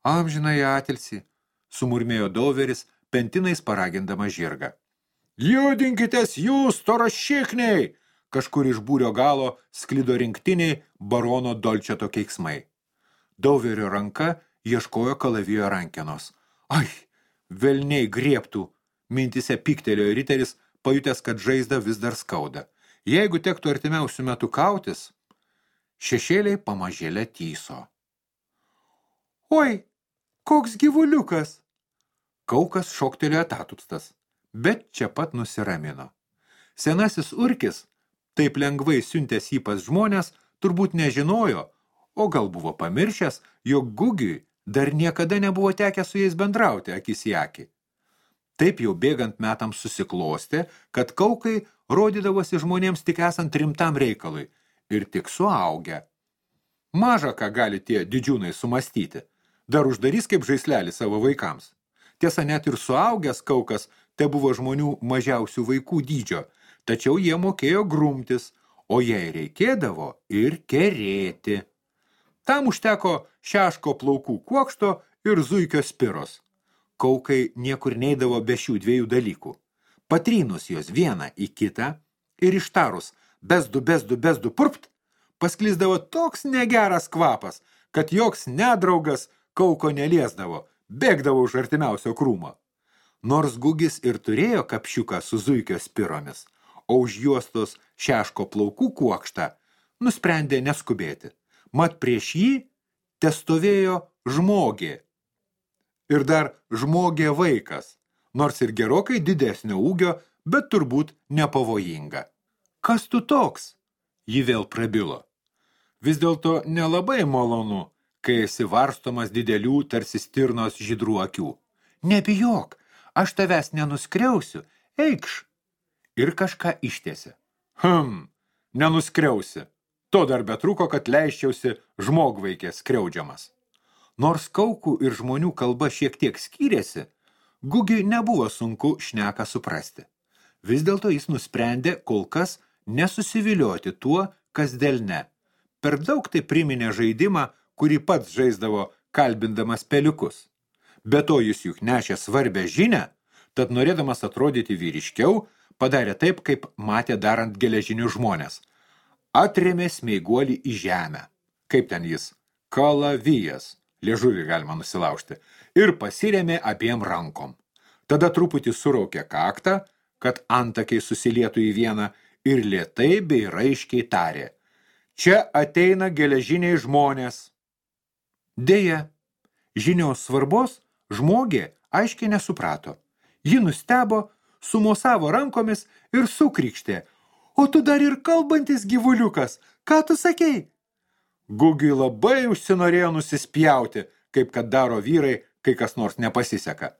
Amžinai atilsi, sumurmėjo Dauveris, pentinais paragindama žirgą. Judinkitės jūs, torašikniai! Kažkur iš būrio galo sklido rinktiniai barono Dolčeto keiksmai. Dauverio ranka ieškojo kalavijo rankenos. Ai, velniai griebtų, mintise pyktelėjo riteris, pajutęs, kad žaizda vis dar skauda. Jeigu tektų artimiausių metų kautis, šešėliai pamažėlę tyso. Oi, koks gyvuliukas! Kaukas šoktelėjo tatupstas, bet čia pat nusiramino. Senasis urkis, taip lengvai siuntęs jį pas žmonės, turbūt nežinojo, o gal buvo pamiršęs, jog Gugiui dar niekada nebuvo tekę su jais bendrauti akis į akį. Taip jau bėgant metams susiklostė, kad kaukai rodydavosi žmonėms tik esant rimtam reikalui ir tik suaugę. Maža ką gali tie didžiūnai sumastyti, dar uždarys kaip žaislelį savo vaikams. Tiesa, net ir suaugęs kaukas te buvo žmonių mažiausių vaikų dydžio, tačiau jie mokėjo grumtis, o jei reikėdavo ir kerėti. Tam užteko šeško plaukų kuokšto ir zuikio spiros. Kaukai niekur neidavo be šių dviejų dalykų. Patrynus jos vieną į kitą ir ištarus bezdu, bezdu, bezdu, purpt, pasklisdavo toks negeras kvapas, kad joks nedraugas kauko neliesdavo, bėgdavo už artimiausio krūmo. Nors Gugis ir turėjo kapšiuką su zuikio spiromis, o už juostos šeško plaukų kuokštą nusprendė neskubėti. Mat prieš jį testovėjo žmogė. Ir dar žmogė vaikas, nors ir gerokai didesnio ūgio, bet turbūt nepavojinga. Kas tu toks? Ji vėl prabilo. Vis dėlto nelabai malonu, kai esi varstomas didelių tarsi stirnos žydrų akių. Nebijok, aš tavęs nenuskriausiu, eikš. Ir kažką ištiesė. Nenuskriausi. To dar betruko, kad leisčiausi žmogvaikės skriaudžiamas. Nors kaukų ir žmonių kalba šiek tiek skyrėsi, Gugiui nebuvo sunku šneką suprasti. Vis dėlto jis nusprendė kol kas nesusivilioti tuo, kas delne. Per daug tai priminė žaidimą, kurį pats žaisdavo kalbindamas peliukus. Be to jis juk nešė svarbę žinią, tad norėdamas atrodyti vyriškiau, padarė taip, kaip matė darant geležinius žmonės. Atrėmė smeiguolį į žemę. Kaip ten jis? Kalavijas. Liežuvį galima nusilaužti. Ir pasirėmė abiem rankom. Tada truputį suraukė kaktą, kad antakiai susilietų į vieną ir lėtai bei raiškiai tarė. Čia ateina geležiniai žmonės. Deja, žinios svarbos žmogė aiškiai nesuprato. Ji nustebo, sumosavo rankomis ir sukrykštė. O tu dar ir kalbantis gyvuliukas, ką tu sakei? Gugiui labai užsinorėjo nusispjauti, kaip kad daro vyrai, kai kas nors nepasiseka.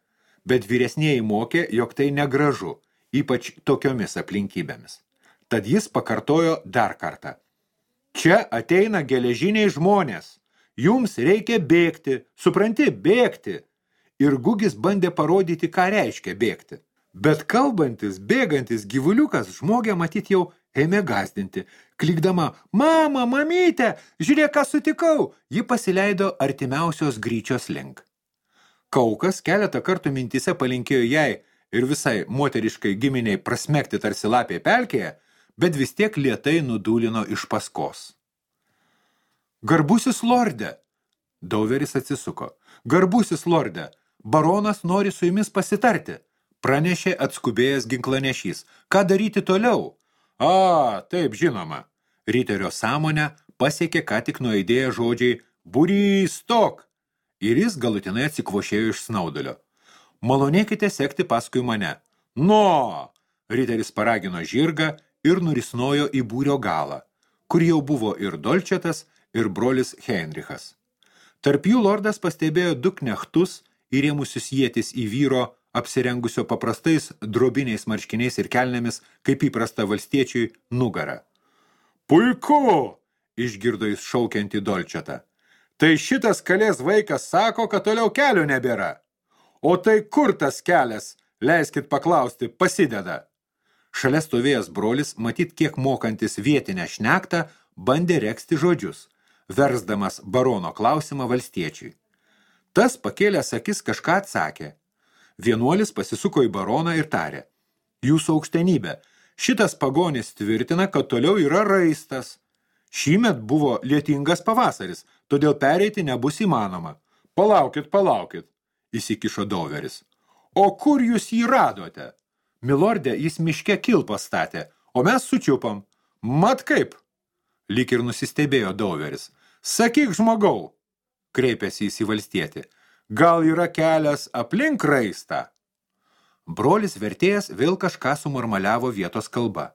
Bet vyresnieji mokė, jog tai negražu, ypač tokiomis aplinkybėmis. Tad jis pakartojo dar kartą. Čia ateina geležiniai žmonės. Jums reikia bėgti, supranti, bėgti. Ir Gugis bandė parodyti, ką reiškia bėgti. Bet kalbantis, bėgantis gyvuliukas žmogę matyt jau ėmė gazdinti. Klikdama, mama, mamyte, žiūrėk, ką sutikau, ji pasileido artimiausios gryčios link. Kaukas keletą kartų mintise palinkėjo jai ir visai moteriškai giminiai prasmekti tarsi lapė pelkėje, bet vis tiek lėtai nudūlino iš paskos. Garbusis lorde, Dauveris atsisuko. Garbusis lorde, baronas nori su jumis pasitarti. Pranešė atskubėjęs ginklanešys. Ką daryti toliau? Taip, žinoma. Riterio sąmonę pasiekė ką tik nuaidėję žodžiai būrys stok. Ir jis galutinai atsikvošėjo iš snaudulio. Malonėkite sekti paskui mane. No! Riteris paragino žirgą ir nurisnojo į būrio galą, kur jau buvo ir Dolčetas, ir brolis Heinrichas. Tarp jų lordas pastebėjo du knechtus įrėmusius ietis į vyro apsirengusio paprastais drobiniais marškiniais ir kelnėmis, kaip įprasta valstiečiui, nugarą. Puiku, išgirdo jis šaukiantį Dolčetą. Tai šitas kalės vaikas sako, kad toliau kelio nebėra. O tai kur tas kelias, leiskit paklausti, pasideda? Šalia stovėjęs brolis, matyt kiek mokantis vietinę šnektą, bandė reksti žodžius, versdamas barono klausimą valstiečiui. Tas pakėlęs akis kažką atsakė. Vienuolis pasisuko į baroną ir tarė. Jūsų aukštenybė, šitas pagonis tvirtina, kad toliau yra raistas. Šįmet buvo lietingas pavasaris, todėl pereiti nebus įmanoma. Palaukit, įsikišo Dauveris. O kur jūs jį radote? Milorde, jis miške kilpą statė, o mes sučiupam. Mat kaip? Lyg ir nusistebėjo Dauveris. Sakyk, žmogau, kreipėsi jis į valstietį. Gal yra kelias aplink raistą? Brolis vertėjas vėl kažką sumurmaliavo vietos kalba.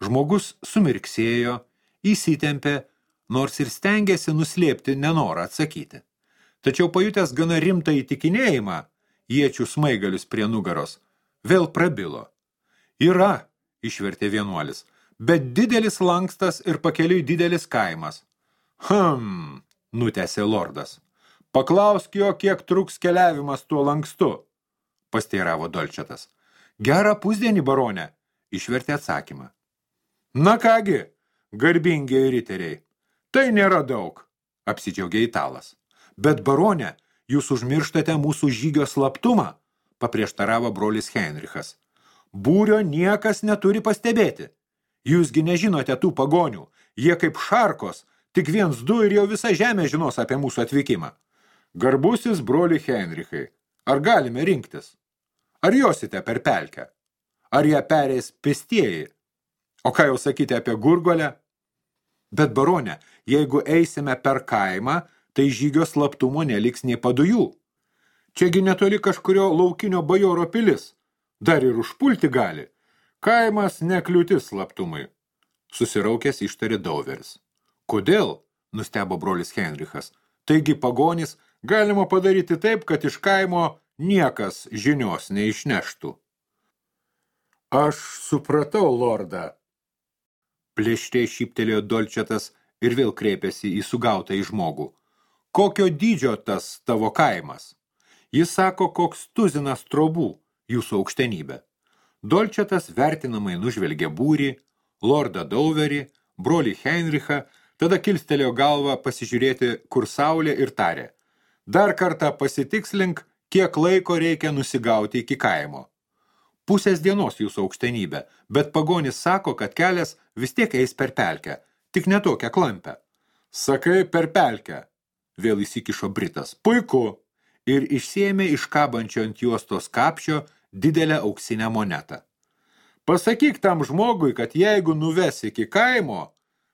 Žmogus sumirksėjo, įsitempė, nors ir stengėsi nuslėpti nenorą atsakyti. Tačiau pajutęs gana rimtą įtikinėjimą, iečių smaigalius prie nugaros, vėl prabilo. Yra, išvertė vienuolis, bet didelis lankstas ir pakeliui didelis kaimas. Nutęsė lordas. Paklausk jo, kiek truks keliavimas tuo lankstu, pasteiravo Dolčetas. Gerą pusdienį, barone, išvertė atsakymą. Na kągi, garbingiai riteriai, tai nėra daug, apsidžiaugė italas. Bet, barone, jūs užmirštate mūsų žygio slaptumą, paprieštaravo brolis Heinrichas. Būrio niekas neturi pastebėti. Jūsgi nežinote tų pagonių, jie kaip šarkos, tik 1-2 ir jau visa žemė žinos apie mūsų atvykimą. Garbusis broli Heinrichai, ar galime rinktis? Ar josite per pelkę? Ar ją pereis pėstieji? O ką jau sakyti apie Gurgolę? Bet, barone, jeigu eisime per kaimą, tai žygio slaptumo neliks nei padujų. Čiagi netoli kažkurio laukinio bajoro pilis. Dar ir užpulti gali. Kaimas nekliūtis slaptumui. Susiraukęs ištarė Dauveris. Kodėl? Nustebo brolis Heinrichas. Taigi pagonis galima padaryti taip, kad iš kaimo niekas žinios neišneštų. Aš supratau, lordą. Plėšriai šyptelėjo Dolčetas ir vėl kreipėsi į sugautą į žmogų. Kokio dydžio tas tavo kaimas? Jis sako, koks tuzinas trobų, jūsų aukštenybė. Dolčetas vertinamai nužvelgė būrį, lordą Dauverį, brolį Heinrichą, tada kilstelėjo galvą pasižiūrėti, kur saulė ir tarė. Dar kartą pasitikslink, kiek laiko reikia nusigauti iki kaimo. Pusės dienos jūsų aukštenybė, bet pagonis sako, kad kelias vis tiek eis per pelkę, tik ne tokią klampę. Sakai per pelkę, vėl įsikišo Britas. Puiku. Ir išsiėmė iš kabančio ant juostos kapšio didelę auksinę monetą. Pasakyk tam žmogui, kad jeigu nuves iki kaimo,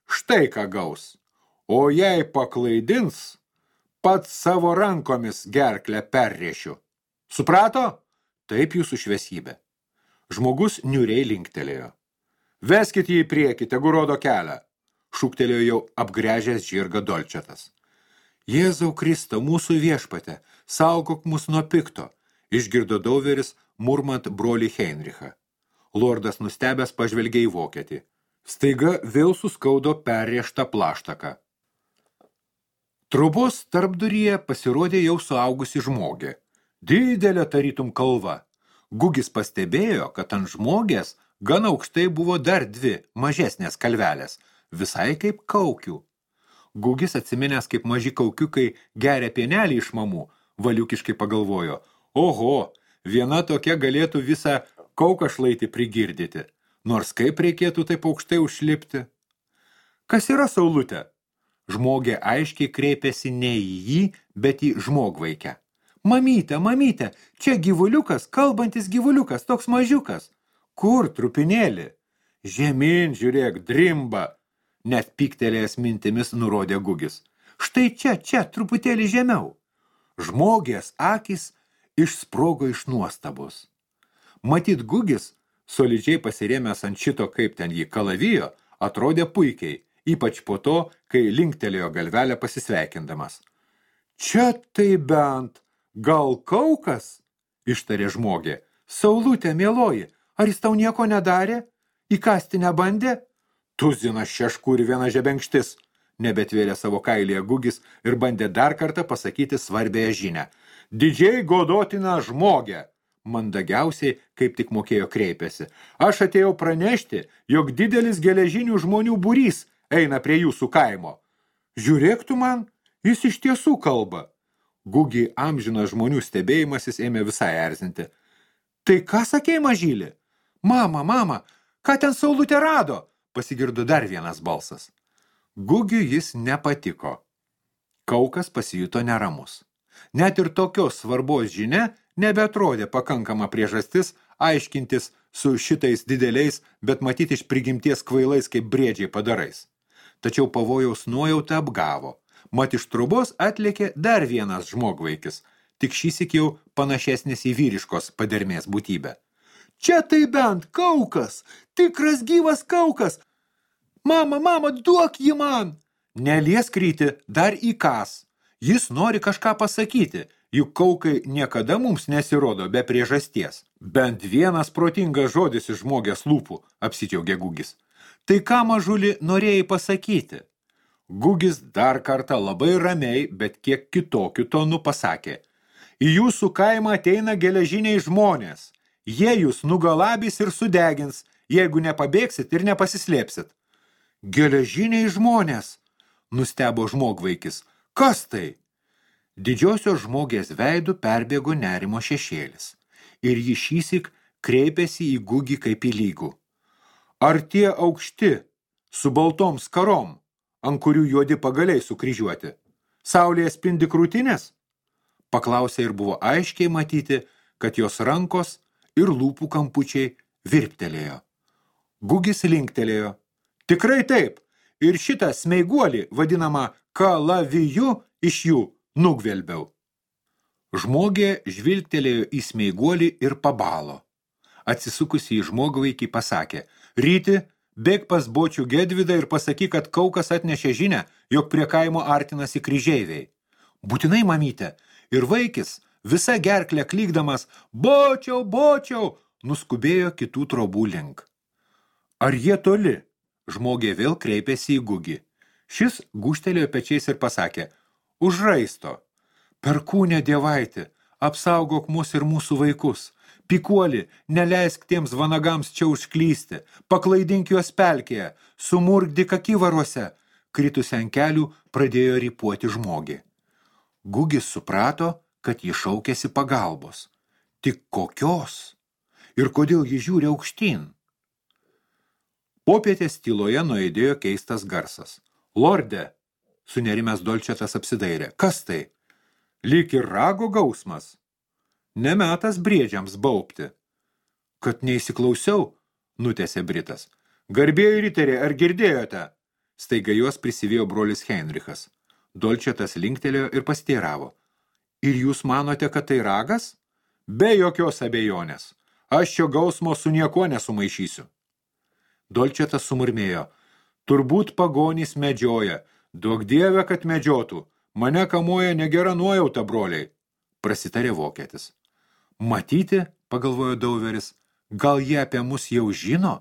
štai ką gaus. O jei paklaidins, pats savo rankomis gerklę perrėšiu. Suprato? Taip jūsų šviesybė. Žmogus niūriai linktelėjo. Veskit jį į priekį, tegu rodo kelią, šūktelėjo jau apgręžęs žirgą Dolčetas. Jėzau Kristau, mūsų viešpate, saugok mus nuo pikto, išgirdo Dauveris, murmant brolį Heinrichą. Lordas nustebęs pažvelgė į vokietį. Staiga vėl suskaudo perrėžtą plaštaką. Trobos tarpduryje pasirodė jau suaugusi žmogė. Didelė tarytum kalva. Gugis pastebėjo, kad ant žmogės gan aukštai buvo dar 2 mažesnės kalvelės, visai kaip kaukių. Gugis atsiminęs, kaip maži kaukiukai geria pienelį iš mamų, valiukiškai pagalvojo, oho, viena tokia galėtų visą kaukašlaitį prigirdyti, nors kaip reikėtų taip aukštai užlipti. Kas yra saulutė? Žmogė aiškiai kreipėsi ne į jį, bet į žmogvaikę. Mamyte, mamyte, čia gyvuliukas, kalbantis gyvuliukas, toks mažiukas. Kur, trupinėlį? Žemyn, žiūrėk, drimba. Net pyktelėjęs mintimis nurodė Gugis. Štai čia, truputėlį žemiau. Žmogės akys išsprogo iš nuostabos. Matyt, Gugis, solidžiai pasirėmęs ant šito, kaip ten jį kalavijo, atrodė puikiai, ypač po to, kai linktelėjo galvelę pasisveikindamas. Čia tai bent, gal kaukas? ištarė žmogė. Saulutė, mieloji, ar jis tau nieko nedarė? Įkasti nebandė? Tuzinas šeškų ir viena žebenkštis, nebetvėrė savo kailyje Gugis ir bandė dar kartą pasakyti svarbėją žinią. Didžiai godotina žmogė, mandagiausiai, kaip tik mokėjo kreipėsi. Aš atėjau pranešti, jog didelis geležinių žmonių būrys eina prie jūsų kaimo. Žiūrėk tu man, jis iš tiesų kalba. Gugį amžinas žmonių stebėjimasis ėmė visai erzinti. Tai ką sakei, mažylį? Mama, ką ten Saulutė rado? Pasigirdo dar vienas balsas. Gugiui jis nepatiko. Kaukas pasijuto neramus. Net ir tokios svarbos žinia nebeatrodė pakankama priežastis aiškintis su šitais dideliais, bet matyti iš prigimties kvailais kaip briedžiai padarais. Tačiau pavojaus nuojauta apgavo. Mat iš trubos atlėkė dar vienas žmogvaikis, tik šįsyk jau panašesnis į vyriškos padermės būtybę. Čia tai bent Kaukas, tikras gyvas Kaukas. Mama, duok jį man. Neliesk Ryti, dar įkas. Jis nori kažką pasakyti, juk Kaukai niekada mums nesirodo be priežasties. Bent vienas protingas žodis iš žmogės lūpų, apsidžiaugė Gugis. Tai ką, mažuli, norėjai pasakyti? Gugis dar kartą labai ramiai, bet kiek kitokiu tonu pasakė. Į jūsų kaimą ateina geležiniai žmonės. Jie jūs nugalabys ir sudegins, jeigu nepabėgsit ir nepasislėpsit. Geležiniai žmonės, nustebo žmogvaikis. Kas tai? Didžiosios žmogės veidų perbėgo nerimo šešėlis ir jį šįsyk kreipėsi į Gugį kaip į lygų. Ar tie aukšti, su baltom skarom, ant kurių juodi pagaliai sukryžiuoti, saulėje spindi krūtinės? Paklausė ir buvo aiškiai matyti, kad jos rankos ir lūpų kampučiai virptelėjo. Gugis linktelėjo. Tikrai taip, ir šitą smeiguolį, vadinamą kalaviju, iš jų nugvelbiau. Žmogė žvilgtelėjo į smeiguolį ir pabalo. Atsisukusi į žmogvaikį pasakė, Ryti, bėk pas bočių Gedvydą ir pasakyk, kad Kaukas atnešė žinią, jog prie kaimo artinasi kryžeiviai. Būtinai, mamyte, ir vaikis, visa gerklė klykdamas, bočiau, nuskubėjo kitų trobų link. Ar jie toli? Žmogė vėl kreipėsi į Gugį. Šis gūžtelėjo pečiais ir pasakė, už raisto. Perkūnė dievaitė, apsaugok mus ir mūsų vaikus. Pikuoli, neleisk tiems vanagams čia užklysti. Paklaidink juos pelkėje, sumurgdyk akivaruose. Kritusi ant kelių pradėjo rypuoti žmogį. Gugis suprato, kad jį šaukėsi pagalbos. Tik kokios? Ir kodėl jį žiūri aukštyn? Popietės tyloje nuaidėjo keistas garsas. Lorde, sunerimęs Dolčetas apsidairė. Kas tai? Lyg ir rago gausmas. Nemetas briedžiams baubti. Kad neįsiklausiau, nutęsė Britas. Garbėjai riteriai, ar girdėjote? Staiga juos prisivėjo brolis Heinrichas. Dolčetas linktelėjo ir pasteiravo. Ir jūs manote, kad tai ragas? Be jokios abejonės. Aš šio gausmo su niekuo nesumaišysiu. Dolčetas sumurmėjo. Turbūt pagonys medžioja. Duok dieve, kad medžiotų. Mane kamuoja negera nuojauta, broliai. Prasitarė vokietis. Matyti, pagalvojo Dauveris, gal jie apie mus jau žino?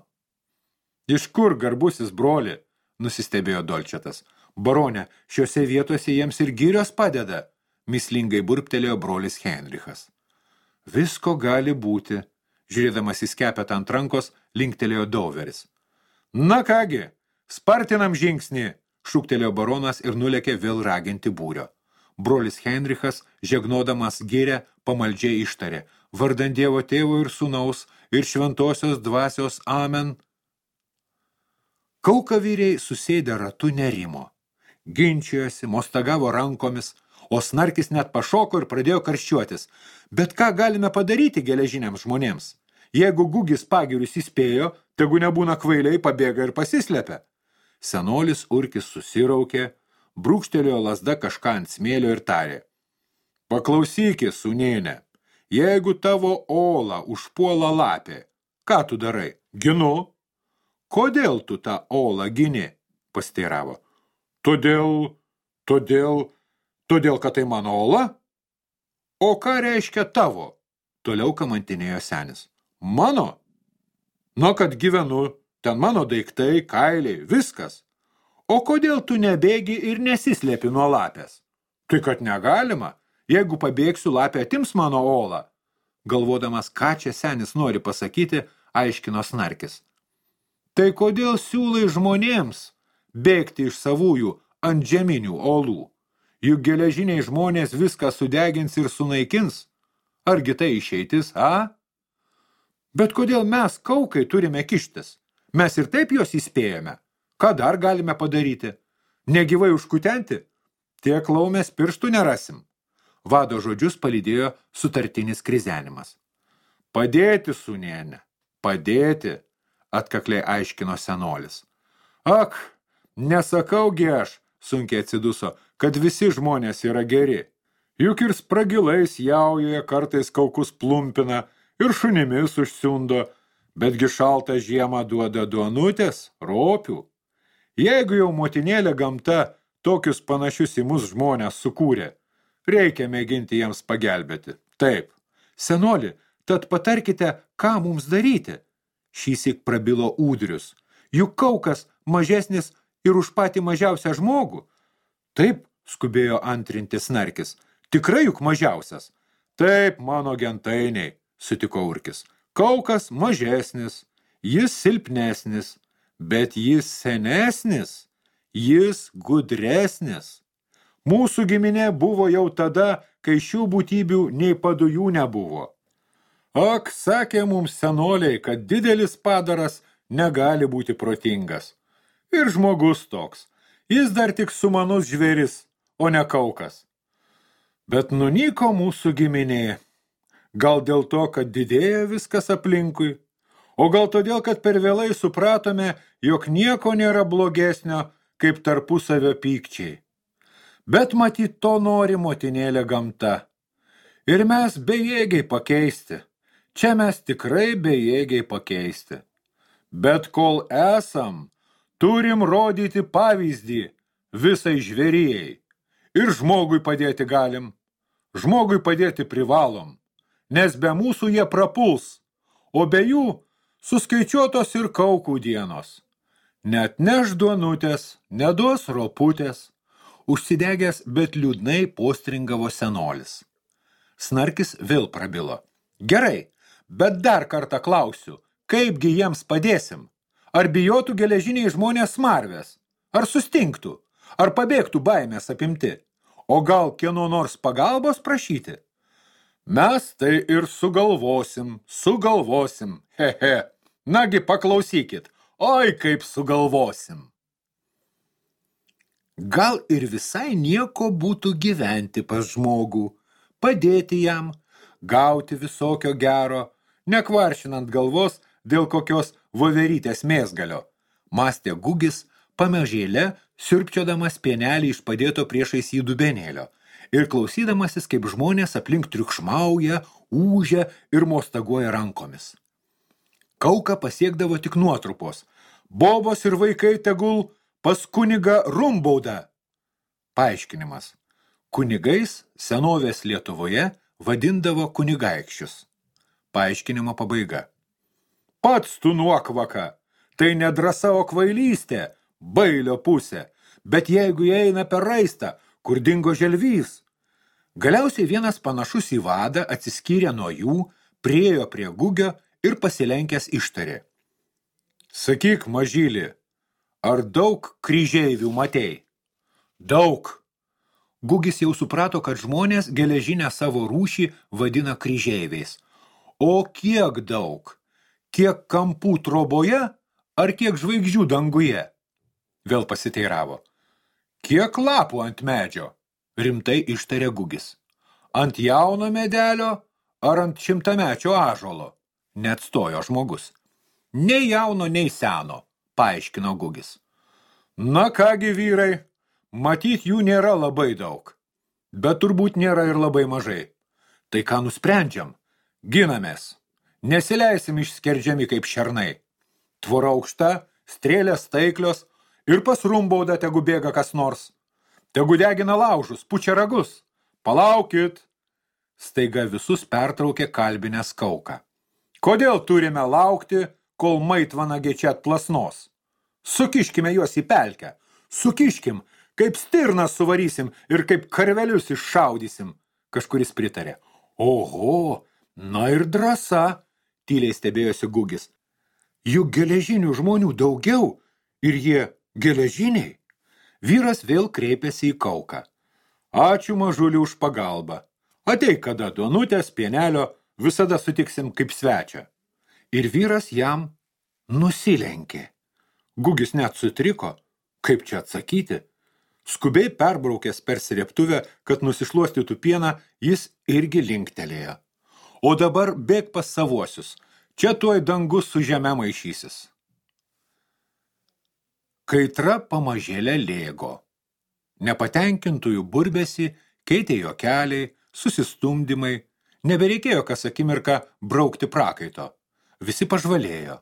Iš kur, garbusis broli? Nusistebėjo Dolčetas. Barone, šiuose vietose jiems ir gyrios padeda. Mislingai burptelėjo brolis Heinrichas. Visko gali būti. Žiūrėdamas į skepetą ant rankos, linktelėjo Dauveris. Na kągi, spartinam žingsnį, šūktelėjo baronas ir nulėkė vėl raginti būrio. Brolis Heinrichas, žegnodamas gyrę, pamaldžiai ištarė, vardan Dievo tėvo ir sūnaus ir šventosios dvasios amen. Kaukavyriai susėdę ratu nerimo. Ginčijosi, mostagavo rankomis, o snarkis net pašoko ir pradėjo karščiuotis. Bet ką galime padaryti geležiniams žmonėms? Jeigu Gugis pagirius įspėjo, tegu nebūna kvailiai, pabėga ir pasislepia. Senolis Urkis susiraukė, brūkštelėjo lazda kažką ant smėlio ir tarė. Paklausykis, sūnėne, jeigu tavo olą užpuola lapė, ką tu darai? Ginu. Kodėl tu tą olą gini? Pasteiravo. Todėl, kad tai mano ola? O ką reiškia tavo? toliau kamantinėjo senis. Mano? Nu, kad gyvenu, ten mano daiktai, kailiai, viskas. O kodėl tu nebėgi ir nesislėpi nuo lapės? Tai kad negalima, jeigu pabėgsiu, lapė atims mano olą. Galvodamas, ką čia senis nori pasakyti, aiškino Snarkis. Tai kodėl siūlai žmonėms bėgti iš savųjų ant žeminių olų? Juk geležiniai žmonės viską sudegins ir sunaikins. Argi tai išeitis, a? Bet kodėl mes, kaukai, turime kištis? Mes ir taip juos įspėjame. Ką dar galime padaryti? Negyvai užkutenti? Tiek laumės pirštų nerasim. Vado žodžius palydėjo sutartinis krizenimas. Padėti, sūnėne, padėti, atkakliai aiškino senolis. Ak, nesakaugi aš, sunkiai atsiduso, kad visi žmonės yra geri. Juk ir spragilais jaujoje kartais kaukus plumpina ir šunimis užsiundo, betgi šaltą žiemą duoda duonutės, ropių. Jeigu jau motinėlė gamta tokius panašius į mus žmonės sukūrė, reikia mėginti jiems pagelbėti. Taip, senoli, tad patarkite, ką mums daryti. Šįsyk prabilo Ūdrius. Juk kaukas mažesnis ir už patį mažiausią žmogų. Taip, skubėjo antrinti Snarkis. Tikrai juk mažiausias. Taip, mano gentainiai, sutiko Urkis. Kaukas mažesnis, jis silpnesnis, bet jis senesnis, jis gudresnis. Mūsų giminė buvo jau tada, kai šių būtybių nei padujų nebuvo. Ak, sakė mums senoliai, kad didelis padaras negali būti protingas. Ir žmogus toks. Jis dar tik sumanus žvėris, o ne kaukas. Bet nunyko mūsų giminė. Gal dėl to, kad didėja viskas aplinkui, o gal todėl, kad per vėlai supratome, jog nieko nėra blogesnio, kaip tarpusavio pykčiai. Bet matyt, to nori motinėlė gamta. Ir mes bejėgiai pakeisti. Čia mes tikrai bejėgiai pakeisti. Bet kol esam, turim rodyti pavyzdį visai žvėrijai. Ir žmogui padėti galim. Žmogui padėti privalom. Nes be mūsų jie prapuls, o be jų suskaičiuotos ir kaukų dienos. Net neš duonutės, neduos roputės. Užsidegęs, bet liūdnai postringavo senolis. Snarkis vėl prabilo. Gerai, bet dar kartą klausiu, kaipgi jiems padėsim? Ar bijotų geležiniai žmonės smarvės? Ar sustingtų? Ar pabėgtų baimės apimti? O gal kieno nors pagalbos prašyti? Mes tai ir sugalvosim. Hehe. Nagi paklausykit, oi kaip sugalvosim. Gal ir visai nieko būtų gyventi pas žmogų, padėti jam, gauti visokio gero, nekvaršinant galvos dėl kokios voverytės mėsgalio, mąstė Gugis, pamažėle siurbčiodamas pienelį iš padėto priešais jį dubenėlio ir klausydamasis, kaip žmonės aplink triukšmauja, ūžia ir mostaguoja rankomis. Kauką pasiekdavo tik nuotrupos. Bobos ir vaikai tegul pas kunigą Rumbaudą. Paaiškinimas. Kunigais senovės Lietuvoje vadindavo kunigaikščius. Paaiškinimo pabaiga. Pats tu nuokvaka. Tai ne drąsa, o kvailystė, bailio pusė. Bet jeigu jie eina per raistą, kur dingo želvys. Galiausiai vienas panašus į vadą atsiskyrė nuo jų, priėjo prie Gugio ir pasilenkęs ištarė. Sakyk, mažylį, ar daug kryžeivių matei? Daug. Gugis jau suprato, kad žmonės geležinę savo rūšį vadina kryžeiviais. O kiek daug? Kiek kampų troboje, ar kiek žvaigždžių danguje? Vėl pasiteiravo. Kiek lapų ant medžio? Rimtai ištarė Gugis. Ant jauno medelio ar ant šimtamečio ąžuolo? Neatstojo žmogus. Nei jauno, nei seno, paaiškino Gugis. Na kągi vyrai, matyt jų nėra labai daug, bet turbūt nėra ir labai mažai. Tai ką nusprendžiam? Ginamės. Nesileisim išskerdžiami kaip šernai. Tvora aukšta, strėlės taiklios ir pas Rumbaudą tegu bėga kas nors. Tegu degina laužus, pučia ragus. Palaukit. Staiga visus pertraukė kalbinės Kauką. Kodėl turime laukti, kol maitvanagiai čia atplasnos? Sukiškime juos į pelkę. Sukiškim, kaip stirnas suvarysim ir kaip karvelius iššaudysim. Kažkuris pritarė. Oho, na ir drąsa, tyliai stebėjosi Gugis. Juk geležinių žmonių daugiau ir jie geležiniai. Vyras vėl kreipėsi į Kauką. Ačiū mažulį už pagalbą. Ateik kada duonutės, pienelio, visada sutiksim kaip svečią. Ir vyras jam nusilenkė. Gugis net sutriko. Kaip čia atsakyti? Skubiai perbraukęs per srėbtuvę, kad nusišluostytų pieną, jis irgi linktelėjo. O dabar bėk pas savuosius. Čia tuoj dangus su žeme maišysis. Kaitra pamažėlė lėgo. Nepatenkintųjų burbėsi keitė juokeliai, susistumdymai. Nebereikėjo kas akimirką braukti prakaito. Visi pažvalėjo.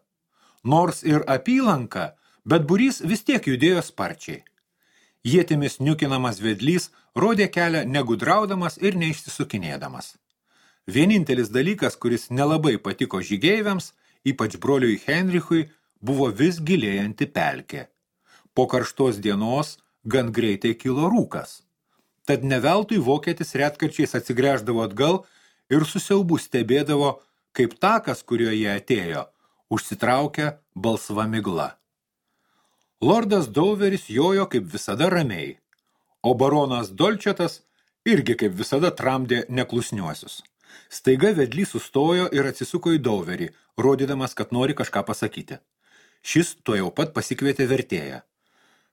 Nors ir apylanka, bet būrys vis tiek judėjo sparčiai. Ietimis niukinamas vedlys rodė kelią negudraudamas ir neišsisukinėdamas. Vienintelis dalykas, kuris nelabai patiko žygeiviams, ypač broliui Henrichui, buvo vis gilėjanti pelkė. Po karštos dienos gan greitai kilo rūkas. Tad neveltui vokietis retkarčiais atsigręždavo atgal ir su siaubu stebėdavo, kaip takas, kuriuo jie atėjo, užsitraukia balsva migla. Lordas Dauveris jojo kaip visada ramiai, o baronas Dolčetas irgi kaip visada tramdė neklusniuosius. Staiga vedlys sustojo ir atsisuko į Dauverį, rodydamas, kad nori kažką pasakyti. Šis tuojau pat pasikvietė vertėją.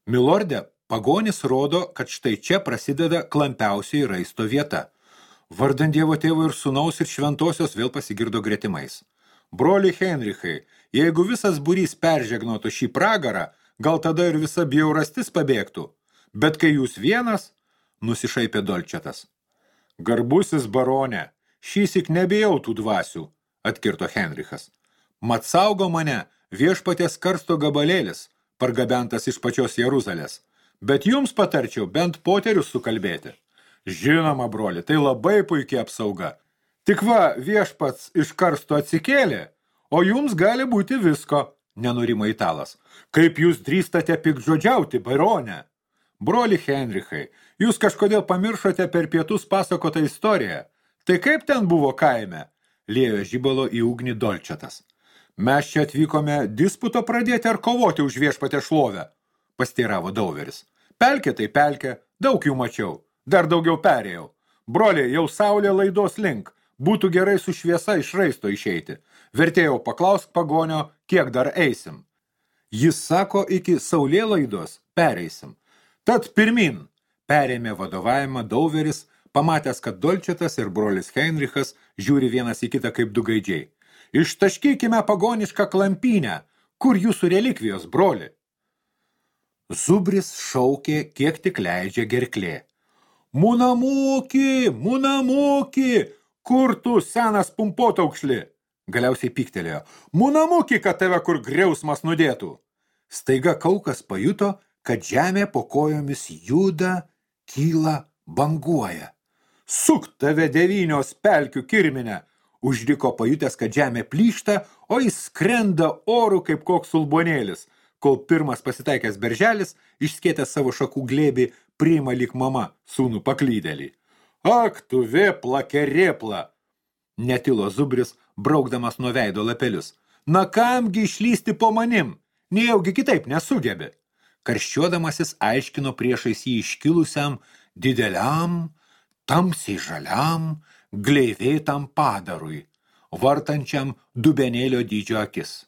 Milorde, pagonis rodo, kad štai čia prasideda klampiausiai raisto vieta. Vardant Dievo tėvo ir sūnaus ir šventosios vėl pasigirdo gretimais. Broli Henrichai, jeigu visas būrys peržegnotų šį pragarą, gal tada ir visa bjaurastis pabėgtų. Bet kai jūs vienas, nusišaipė Dolčetas. Garbusis barone, šįsyk nebijau tų dvasių, atkirto Henrichas. Mat saugo mane viešpaties karsto gabalėlis, pargabentas iš pačios Jeruzalės. Bet jums patarčiau bent poterius sukalbėti. Žinoma, broli, tai labai puikiai apsauga. Tik va, viešpats iš karsto atsikėlė, o jums gali būti visko, nenurimo italas. Kaip jūs drįstate piktžodžiauti, barone? Broli Henrichai, jūs kažkodėl pamiršote per pietus pasakotą istoriją. Tai kaip ten buvo kaime? Liejo žibalo į ugnį Dolčetas. Mes čia atvykome disputo pradėti ar kovoti už viešpatę šlovę, pasteiravo Dauveris. Pelkė tai pelkė, daug jų mačiau, dar daugiau perėjau. Broliai, jau saulė laidos link, būtų gerai su šviesa iš raisto išeiti. Vertėjau, paklausk pagonio, kiek dar eisim. Jis sako, iki saulėlaidos pereisim. Tad pirmin, perėmė vadovavimą Dauveris, pamatęs, kad Dolčetas ir brolis Heinrichas žiūri vienas į kitą kaip du gaidžiai. Ištaškykime pagonišką klampynę, kur jūsų relikvijos, broli? Zubris šaukė, kiek tik leidžia gerklė. Munamuki, munamuki, kur tu senas pumpotaukšli? Galiausiai pyktelėjo. Munamuki, kad tave kur griausmas nudėtų. Staiga Kaukas pajuto, kad žemė po kojomis juda, kyla, banguoja. Suk tave devynios pelkių kirminę, užriko pajutęs, kad žemė plyšta, o jis skrenda oru kaip koks sulbonėlis, kol pirmas pasitaikęs berželis, išskėtęs savo šakų glėbį, priima lyg mama sūnų paklydėlį. Ak, tu vėpla, kerėpla! Netilo Zubris, braukdamas nuo veido lapelius. Na kamgi išlysti po manim? Nejaugi kitaip nesugebi. Karščiuodamasis aiškino priešais jį iškilusiam, dideliam, tamsiai žaliam, gleivėtam padarui, vartančiam dubenėlio dydžio akis.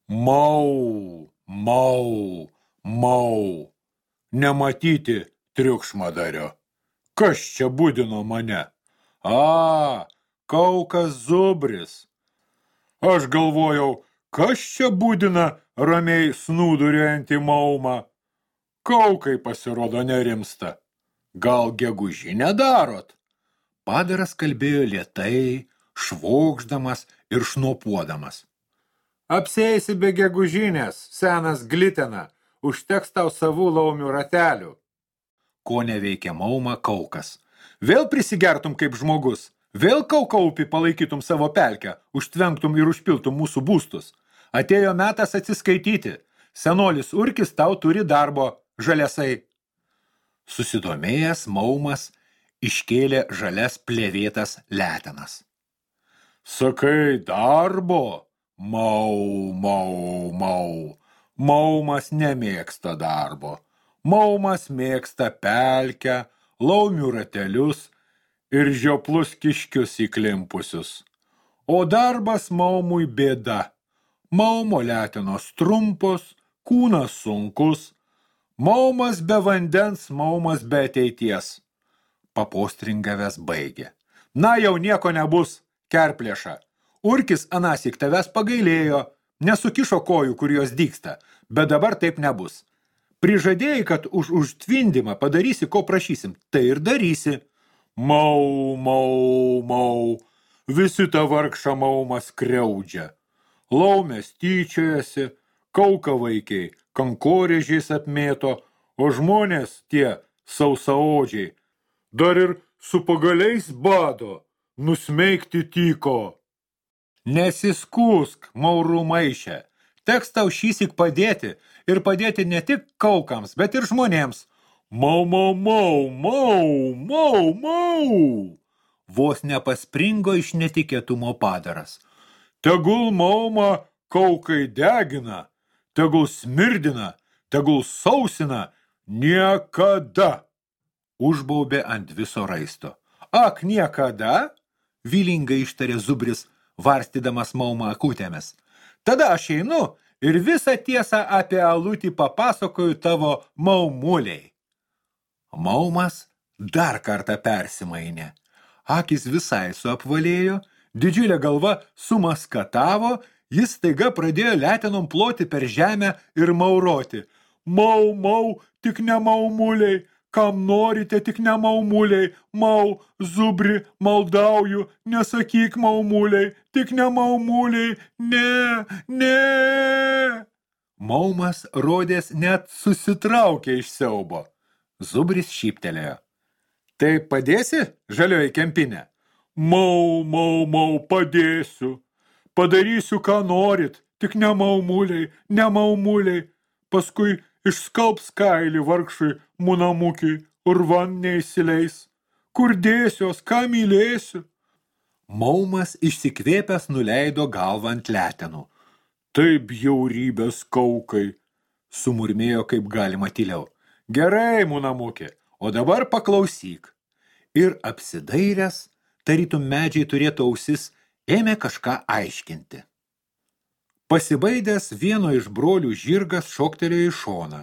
Mau, mau, mau. Nematyti triukšmadario. Kas čia budino mane? A, Kaukas Zubris. Aš galvojau, kas čia budina ramiai snūduriuojantį maumą? Kaukai pasirodo nerimsta. Gal gegužinę darot? Padaras kalbėjo lėtai, švokšdamas ir šnopuodamas. Apsėsi be gegužinės, senas glitena, užteks tau savų laumių ratelių. Ko neveikia mauma Kaukas. Vėl prisigertum kaip žmogus, Vėl kaukaupį palaikytum savo pelkę, užtvenktum ir užpiltum mūsų būstus. Atėjo metas atsiskaityti. Senolis Urkis tau turi darbo, žaliasai. Susidomėjęs Maumas iškėlė žalias plėvėtas letenas. Sakai, darbo? Mau, mau, mau. Maumas nemėgsta darbo. Maumas mėgsta pelkę, laumių ratelius ir žioplus kiškius įklimpusius. O darbas Maumui bėda. Maumo letenos trumpos, kūnas sunkus. Maumas be vandens, Maumas be ateities. Papostringavęs baigė. Na, jau nieko nebus, kerplėša. Urkis anąsyk tavęs pagailėjo, nesukišo kojų, kur jos dygsta, bet dabar taip nebus. Prižadėjai, kad už užtvindimą padarysi, ko prašysim, tai ir darysi. Mau, mau, mau, visi tą vargšą Maumą skriaudžia. Laumės tyčiojasi, kauka vaikiai, kankorėžiais apmėto, o žmonės tie sausaodžiai dar ir su pagaliais bado, nusmeigti tyko. Nesiskūsk, Maurų maišė, teks tau šįsyk padėti ir padėti ne tik kaukams, bet ir žmonėms. Mau, mau, mau, mau, mau, mau. Vos nepaspringo iš netikėtumo padaras. Tegul Maumą kaukai degina, tegul smirdina, tegul sausina, niekada. Užbaubė ant viso raisto. Ak, niekada? Vylingai ištarė Zubris, varstydamas Maumą akutėmis. Tada aš einu ir visą tiesą apie alutį papasakoju tavo Maumuliai. Maumas dar kartą persimainė. Akis visai suapvalėjo, didžiulė galva sumaskatavo, jis staiga pradėjo letenom ploti per žemę ir mauroti. Mau, mau, tik ne Maumuliai, kam norite, tik ne Maumuliai, mau, Zubri, maldauju, nesakyk Maumuliai, tik ne Maumuliai, ne, ne. Maumas rodės net susitraukė iš siaubo. Zubris šyptelėjo. Tai padėsi, žalioji kempinė? Mau, mau, mau, padėsiu. Padarysiu, ką norit, tik ne Maumuliai, ne Maumuliai. Paskui išskalbs kailį vargšui munamukiui, urvan neįsileis. Kur dėsios, ką mylėsiu? Maumas išsikvėpęs nuleido galvą ant letenų. Taip bjaurybės kaukai, sumurmėjo kaip galima tyliau. Gerai, munamukė, o dabar paklausyk. Ir apsidairęs, tarytum medžiai turėtų ausis, ėmė kažką aiškinti. Pasibaidęs vieno iš brolių žirgas šoktelėjo į šoną,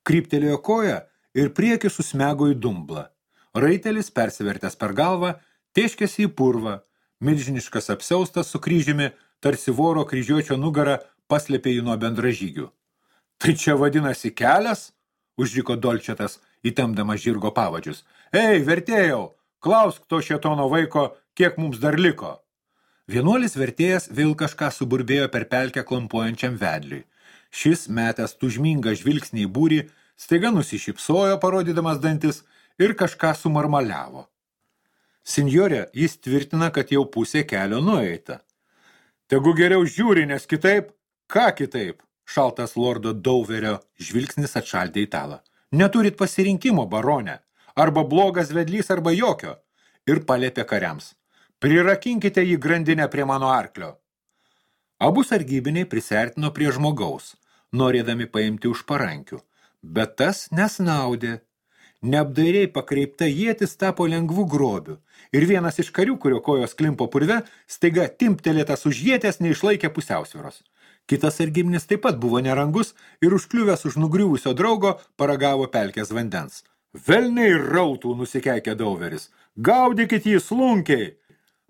kryptelėjo koją ir priekį susmego į dumblą. Raitelis, persivertęs per galvą, tėškėsi į purvą, milžiniškas apsiaustas su kryžiumi, tarsi voro kryžiuočio nugarą paslėpė jį nuo bendražygių. Tai čia vadinasi kelias? Užriko Dolčetas, įtemdamas žirgo pavadžius. Ei, vertėjau, klausk to šėtono vaiko, kiek mums dar liko. Vienuolis vertėjas vėl kažką suburbėjo per pelkę klampuojančiam vedliui. Šis, metęs tužmingą žvilgsnį į būrį, staiga nusišypsojo, parodydamas dantis, ir kažką sumarmaliavo. Sinjorė, jis tvirtina, kad jau pusė kelio nueita. Tegu geriau žiūri, nes kitaip, ką kitaip? Šaltas lordo Dauverio žvilgsnis atšaldė italą. Neturit pasirinkimo, barone. Arba blogas vedlys, arba jokio. Ir palėpė kariams. Prirakinkite jį grandinę prie mano arklio. Abu sargybiniai prisiartino prie žmogaus, norėdami paimti už parankių. Bet tas nesnaudė. Neapdairiai pakreipta ietis tapo lengvų grobių. Ir vienas iš karių, kurio kojos klimpo purve, staiga timptelėtas už ietės neišlaikė pusiausvyros. Kitas sargybinis taip pat buvo nerangus ir užkliuvęs už nugriuvusio draugo paragavo pelkės vandens. Velniai rautų, nusikeikė Dauveris. Gaudykit jį slunkiai!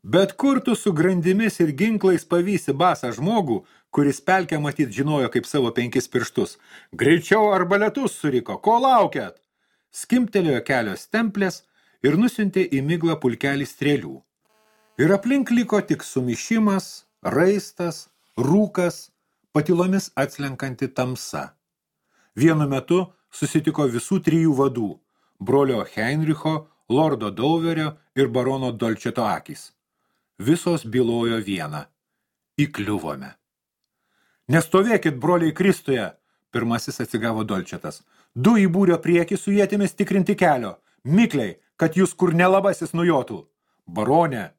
Bet kur tu su grandimis ir ginklais pavysi basą žmogų, kuris pelkę matyt žinojo kaip savo 5 pirštus. Greičiau arbaletus suriko, ko laukiat? Skimptelėjo kelios stemplės ir nusiuntė į miglą pulkelį strėlių. Ir aplink liko tik sumišimas, raistas, rūkas, patilomis atslenkanti tamsa. Vienu metu susitiko visų 3 vadų – brolio Heinricho, lordo Dauverio ir barono Dolčeto akys. Visos bylojo vieną. Įkliuvome. Nestovėkit, broliai Kristuje, pirmasis atsigavo Dolčetas. Du į būrio priekį su ietimis tikrinti kelio. Mikliai, kad jūs kur nelabasis nujotų. Baronė,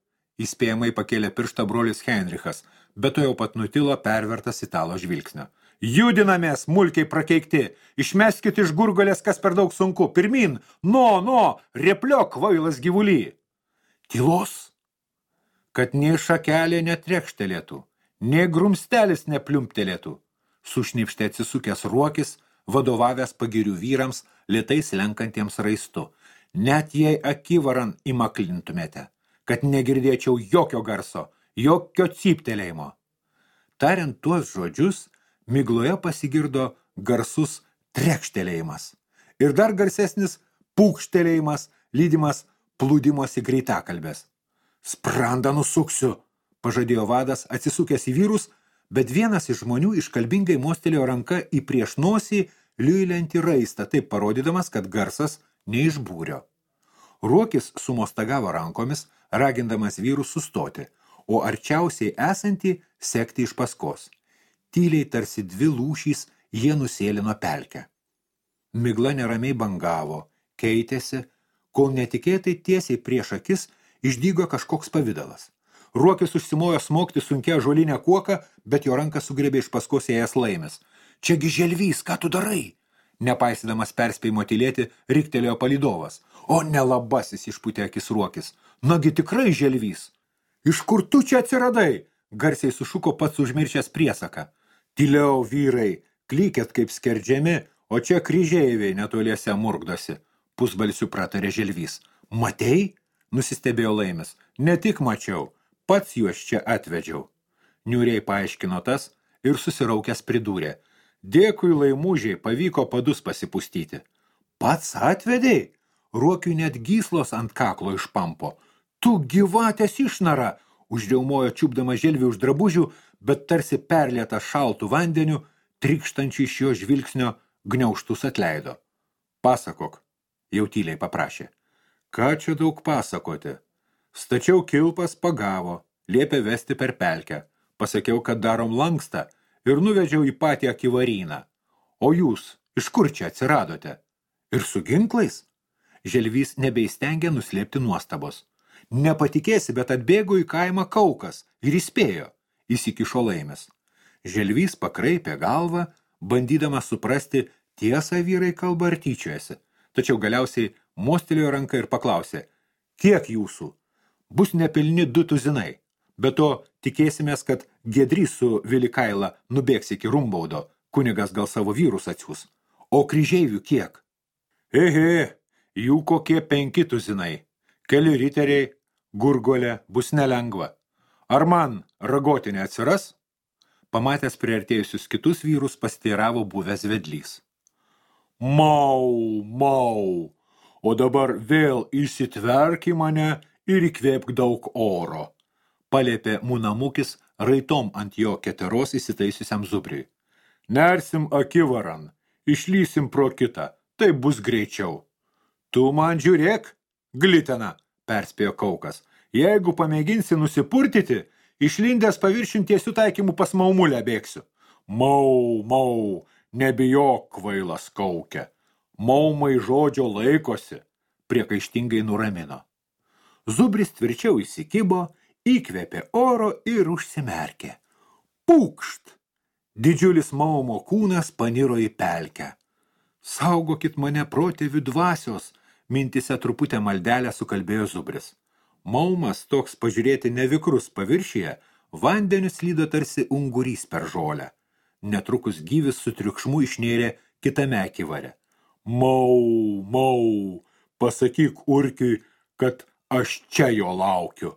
įspėjamai pakėlė pirštą brolis Heinrichas, bet to jau pat nutilo pervertas italo žvilgsnio. Judinamės, mulkiai prakeikti, išmeskit iš gurgolės, kas per daug sunku. Pirmin, repliok, kvailas gyvuly. Tylos, kad nei šakelė netrekštelėtų, nei grumstelis nepliumptelėtų. Sušnipštė atsisukęs Ruokis, vadovavęs pagirių vyrams, lėtai slenkantiems raistu. Net jei akivaran įmaklintumėte, kad negirdėčiau jokio garso, jokio cyptelėjimo. Tariant tuos žodžius, migloje pasigirdo garsus trekštelėjimas ir dar garsesnis pūkštelėjimas, lydimas plūdimosi greitakalbės. Sprandą nusuksiu, pažadėjo vadas, atsisukęs į vyrus, bet vienas iš žmonių iškalbingai mostelėjo ranka į prieš nosį liuiliantį raistą, taip parodydamas, kad garsas ne iš būrio. Ruokis sumostagavo rankomis, ragindamas vyrus sustoti, o arčiausiai esantį sekti iš paskos. Tyliai tarsi dvi lūšys jie nusėlino pelkę. Migla neramiai bangavo, keitėsi, kol netikėtai tiesiai prieš akis išdygo kažkoks pavidalas. Ruokis užsimojo smogti sunkia ąžuolinę kuoką, bet jo ranką sugriebė iš paskos ėjęs Laimis. Čiagi želvys, ką tu darai? Nepaisydamas perspėjimo tylėti, riktelėjo palydovas. O nelabasis, išpūtė akis Ruokis. Nagi tikrai želvys. Iš kur tu čia atsiradai? Garsiai sušuko pats užmiršęs priesaką. Tyliau, vyrai, klykėt kaip skerdžiami, o čia kryžeiviai netoliese murkdosi. Pusbalsiu pratarė želvys. Matei? Nusistebėjo Laimis. Ne tik mačiau, pats juos čia atvedžiau. Niūriai paaiškino tas ir susiraukęs pridūrė. Dėkui, Laimužiai, pavyko padus pasipustyti. Pats atvedei? Ruokiui net gyslos ant kaklo išpampo. Tu gyvatės išnara, užriaumojo čiupdama želvį už drabužių, bet tarsi perlieta šaltų vandeniu, trykštančių iš jo žvilgsnio gniaužtus atleido. Pasakok, jau tyliai paprašė. Ką čia daug pasakoti? Stačiau kilpas pagavo, liepė vesti per pelkę. Pasakiau, kad darom lankstą ir nuvedžiau į patį akivaryną. O jūs, iš kur čia atsiradote? Ir su ginklais? Želvys nebeįstengė nuslėpti nuostabos. Nepatikėsi, bet atbėgo į kaimą Kaukas ir įspėjo, įsikišo Laimis. Želvys pakraipė galvą, bandydamas suprasti, tiesą vyrai kalba ar tyčiojasi, tačiau galiausiai mostelėjo ranką ir paklausė, kiek jūsų? Bus nepilni 2 tuzinai, bet to tikėsimės, kad Giedrys su Vilikaila nubėgs iki Rumbaudo, kunigas gal savo vyrus atsiūs. O kryžeivių kiek? Jų kokie 5 tuzinai, keli riteriai, gurgolė, bus nelengva. Ar man ragotinė atsiras? Pamatęs priartėjusius kitus vyrus pasteiravo buvęs vedlys. Mau, o dabar vėl įsitverk į mane ir įkvėpk daug oro, paliepė Munamukis raitom ant jo keteros įsitaisiusiam Zubriui. Nersim akivaran, išlysim pro kitą, tai bus greičiau. Tu man žiūrėk, glitena, perspėjo Kaukas. Jeigu pamėginsi nusipurtyti, išlindęs paviršiun tiesių taikymų pas maumulę bėgsiu. Mau, nebijok, kvailas Kauke. Maumai žodžio laikosi, priekaištingai nuramino. Zubris tvirčiau įsikibo, įkvėpė oro ir užsimerkė. Pūkšt! Didžiulis maumo kūnas paniro į pelkę. Saugokit mane protėvių dvasios, mintise truputę maldelę sukalbėjo Zubris. Maumas, toks pažiūrėti nevikrus paviršyje, vandeniu slydo tarsi ungurys per žolę. Netrukus gyvis su triukšmu išnėrė kitame akivare. Mau, pasakyk Urkiui, kad aš čia jo laukiu,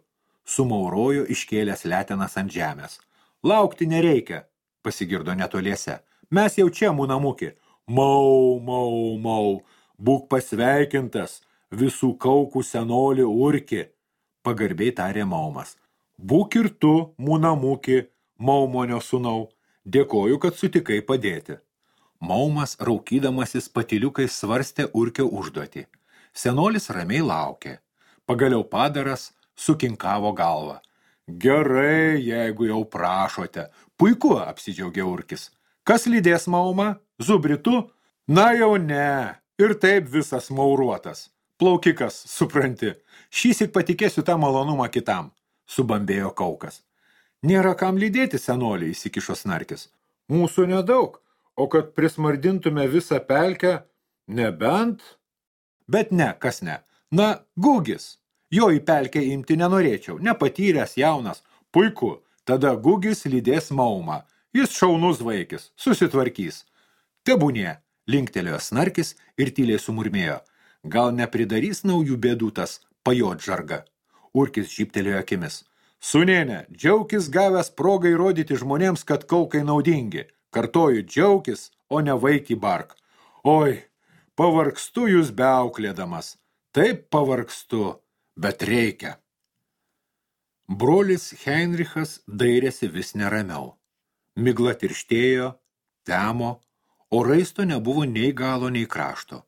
sumaurojo iškėlęs letenas ant žemės. Laukti nereikia, pasigirdo netoliese. Mes jau čia, Munamuki. Mau, būk pasveikintas, visų kaukų senoli Urki, pagarbiai tarė Maumas. Būk ir tu, Munamuki, Maumonio sūnau, dėkoju, kad sutikai padėti. Maumas, raukydamasis patyliukais svarstė Urkio užduotį. Senolis ramiai laukė. Pagaliau padaras sukinkavo galvą. Gerai, jeigu jau prašote. Puiku, apsidžiaugė Urkis. Kas lydės maumą? Zubritu? Na jau ne. Ir taip visas mauruotas. Plaukikas, supranti. Šįsyk patikėsiu tą malonumą kitam, subambėjo Kaukas. Nėra kam lydėti, senolį, įsikišo Snarkis. Mūsų nedaug, o kad prismardintume visą pelkę, nebent... Bet ne, kas ne. Na, Gugis. Jo į pelkę imti nenorėčiau, nepatyręs jaunas. Puiku, tada Gugis lydės maumą. Jis šaunus vaikis, susitvarkys. Tebūnie, linktelėjo Snarkis ir tyliai sumurmėjo. Gal nepridarys naujų bėdų tas pajot žarga. Urkis žyptelėjo akimis. Sūnėne, džiaukis gavęs progą įrodyti žmonėms, kad Kaukai naudingi. Kartoju, džiaukis, o ne vaikį bark. Oi, pavargstu jūs beauklėdamas. Taip pavargstu. Bet reikia. Brolis Heinrichas dairėsi vis neramiau. Migla tirštėjo, temo, o raisto nebuvo nei galo, nei krašto.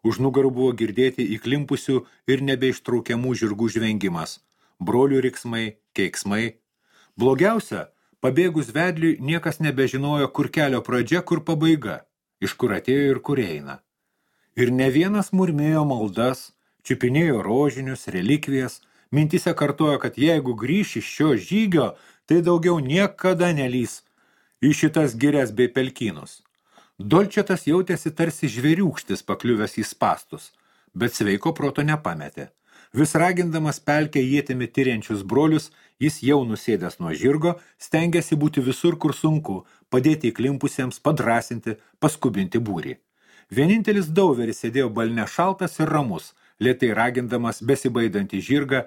Už nugarų buvo girdėti įklimpusių ir nebeištraukiamų žirgų žvengimas, brolių riksmai, keiksmai. Blogiausia, pabėgus vedliui niekas nebežinojo, kur kelio pradžia, kur pabaiga, iš kur atėjo ir kur eina. Ir ne vienas murmėjo maldas, čiupinėjo rožinius, relikvijas, mintise kartojo, kad jeigu grįš iš šio žygio, tai daugiau niekada nelys į šitas girias bei pelkynus. Dolčetas jautėsi tarsi žvėriūkštis pakliuvęs į spastus, bet sveiko proto nepametė. Vis ragindamas pelkę ietimi tiriančius brolius, jis jau nusėdęs nuo žirgo, stengėsi būti visur, kur sunku, padėti įklimpusiems, padrasinti, paskubinti būrį. Vienintelis Dauveris sėdėjo balne šaltas ir ramus, lėtai ragindamas besibaidantį žirgą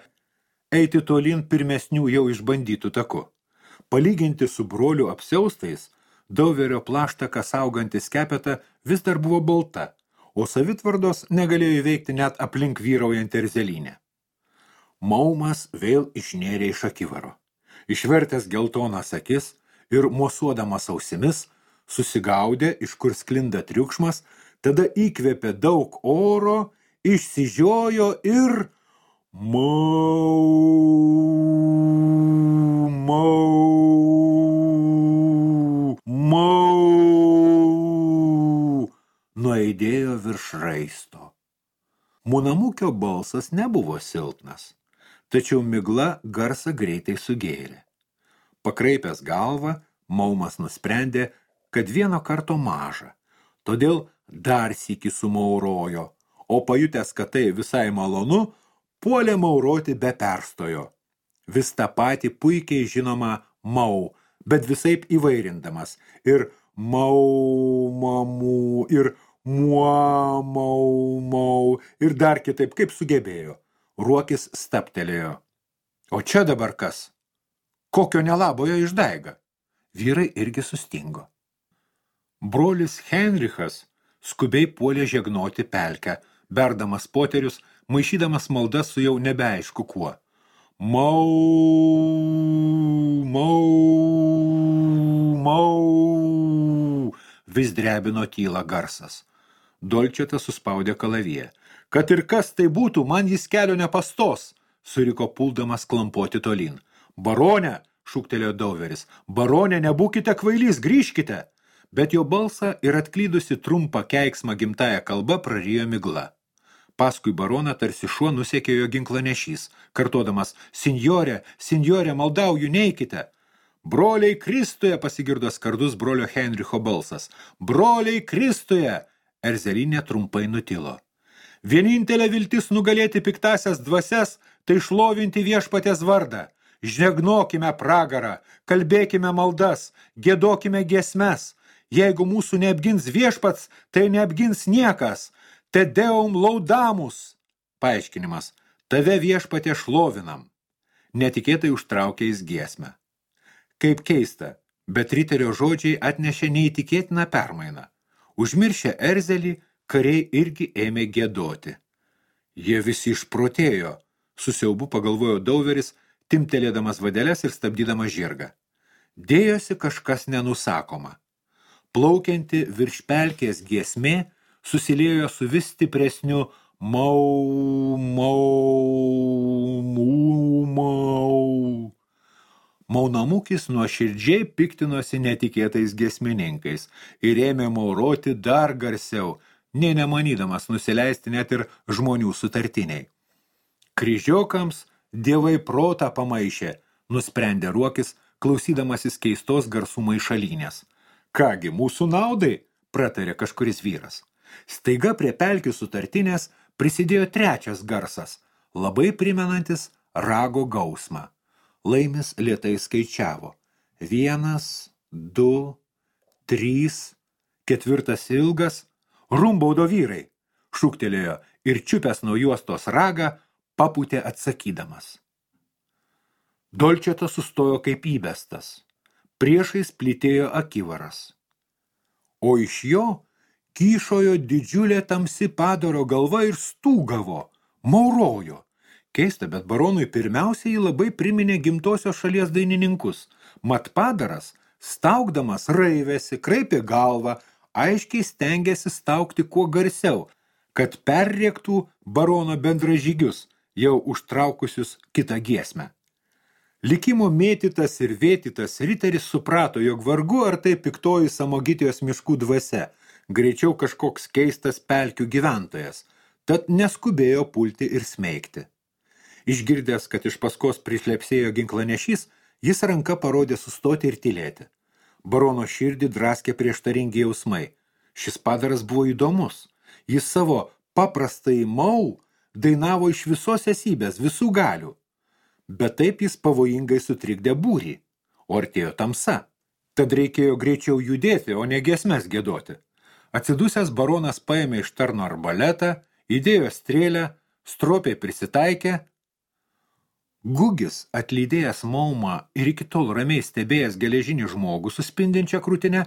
eiti tolyn pirmesnių jau išbandytų taku. Palyginti su brolių apsiaustais, Dauverio plaštaka sauganti skepeta vis dar buvo balta, o savitvardos negalėjo įveikti net aplink vyraujantį erzelinę. Maumas vėl išnėrė iš akivaro. Išvertęs geltonas akis ir mosuodamas ausimis, susigaudė, iš kur sklinda triukšmas, tada įkvėpė daug oro, išsižiojo ir nuaidėjo virš raisto. Munamukio balsas nebuvo silpnas, tačiau migla garsą greitai sugėrė. Pakraipęs galvą, Maumas nusprendė, kad vieno karto maža, todėl dar sykį sumaurojo, o pajutęs, kad tai visai malonu, puolė mauroti be perstojo. Vis tą patį puikiai žinoma mau, bet visaip įvairindamas ir mau mamų, ir muo mau mau, ir dar kitaip, kaip sugebėjo. Ruokis staptelėjo. O čia dabar kas? Kokio nelabojo išdaiga? Vyrai irgi sustingo. Brolis Heinrichas skubiai puolė žegnoti pelkę, berdamas poterius, maišydamas maldas su jau nebeaišku kuo. Mau, mau, mau, vis drebino tylą garsas. Dolčetas suspaudė kalaviją. Kad ir kas tai būtų, man jis kelio nepastos, suriko puldamas klampoti tolyn. Barone, šūktelėjo Dauveris, barone, nebūkite kvailys, grįžkite. Bet jo balsą ir atklydusi trumpą keiksmą gimtąją kalbą prarijo migla. Paskui baroną tarsi šuo nusekė jo ginklanešys, kartodamas, sinjorė, sinjorė, maldauju, neikite. Broliai Kristuje, pasigirdo skardus brolio Heinricho balsas. Broliai Kristuje, erzelinė trumpai nutilo. Vienintelė viltis nugalėti piktasias dvasias, tai šlovinti viešpatės vardą. Žnegnokime pragarą, kalbėkime maldas, giedokime giesmes. Jeigu mūsų neapgins viešpats, tai neapgins niekas. Te deum laudamus. Paaiškinimas. Tave viešpatė šlovinam. Netikėtai užtraukė jis giesmę. Kaip keista, bet riterio žodžiai atnešė neįtikėtiną permainą. Užmiršę erzelį, kariai irgi ėmė giedoti. Jie visi išprotėjo, su siaubu pagalvojo Dauveris, timtelėdamas vadeles ir stabdydamas žirgą. Dėjosi kažkas nenusakoma. Plaukianti virš pelkės giesmė susiliejo su vis stipresniu mau, mau, mau, mau. Maunamukis nuoširdžiai piktinosi netikėtais giesmininkais ir ėmė mauroti dar garsiau, nė nemanydamas nusileisti net ir žmonių sutartiniai. Kryžiokams dievai protą pamaišė, nusprendė Ruokis, klausydamasis keistos garsų maišalynės. Kągi, mūsų naudai, pratarė kažkuris vyras. Staiga prie pelkių sutartinės prisidėjo trečias garsas, labai primenantis rago gausmą. Laimis lėtai skaičiavo. 1, 2, 3, ketvirtas ilgas. Rumbaudo vyrai, šūktelėjo ir čiupęs nuo juostos ragą, papūtė atsakydamas. Dolčetas sustojo kaip įbestas. Priešais plytėjo akivaras. O iš jo kyšojo didžiulė tamsi padaro galva ir stūgavo, maurojo. Keista, bet baronui pirmiausiai jį labai priminė gimtosios šalies dainininkus. Mat padaras, staugdamas raivėsi, kraipė galvą, aiškiai stengėsi staugti kuo garsiau, kad perrėktų barono bendražygius, jau užtraukusius kitą giesmę. Likimo mėtytas ir vėtytas riteris suprato, jog vargu ar tai piktoji Samogitijos miškų dvasia, greičiau kažkoks keistas pelkių gyventojas, tad neskubėjo pulti ir smeigti. Išgirdęs, kad iš paskos prišlepsėjo ginklanešys, jis ranka parodė sustoti ir tylėti. Barono širdį draskė prieštaringi jausmai. Šis padaras buvo įdomus. Jis savo paprastai mau dainavo iš visos esybės, visų galių. Bet taip jis pavojingai sutrikdė būrį, o artėjo tamsa. Tad reikėjo greičiau judėti, o ne giesmes giedoti. Atsidusęs baronas paėmė iš tarno arbaletą, įdėjo strėlę, stropiai prisitaikė. Gugis, atlydėjęs maumą ir iki tol ramiai stebėjęs geležinį žmogų su spindinčia krūtine,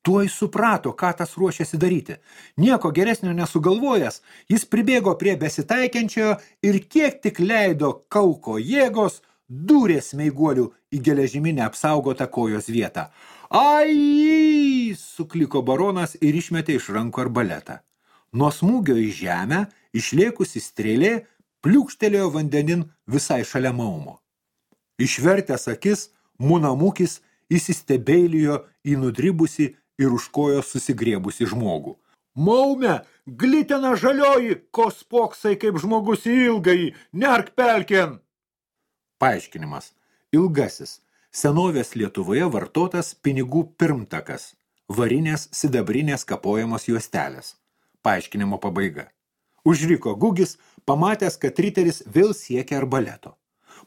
tuoj suprato, ką tas ruošėsi daryti. Nieko geresnio nesugalvojęs, jis pribėgo prie besitaikiančiojo ir kiek tik leido kauko jėgos, dūrė smeiguolių į geležiminę apsaugotą kojos vietą. Ai! Sukliko baronas ir išmetė iš rankų arbaletą. Nuo smūgio į žemę, išlėkusi strėlė, pliūkštelėjo vandenin visai šalia maumo. Išvertęs akis, Munamukis įsistebeilijo į nudribusi ir už kojos susigriebusi žmogų. Maume, glitena žalioji, ko spoksai kaip žmogus į ilgąjį, nerk pelkien! Paaiškinimas. Ilgasis. Senovės Lietuvoje vartotas pinigų pirmtakas. Varinės sidabrinės kapojamos juostelės. Paaiškinimo pabaiga. Užriko Gugis, pamatęs, kad riteris vėl siekia arbaleto.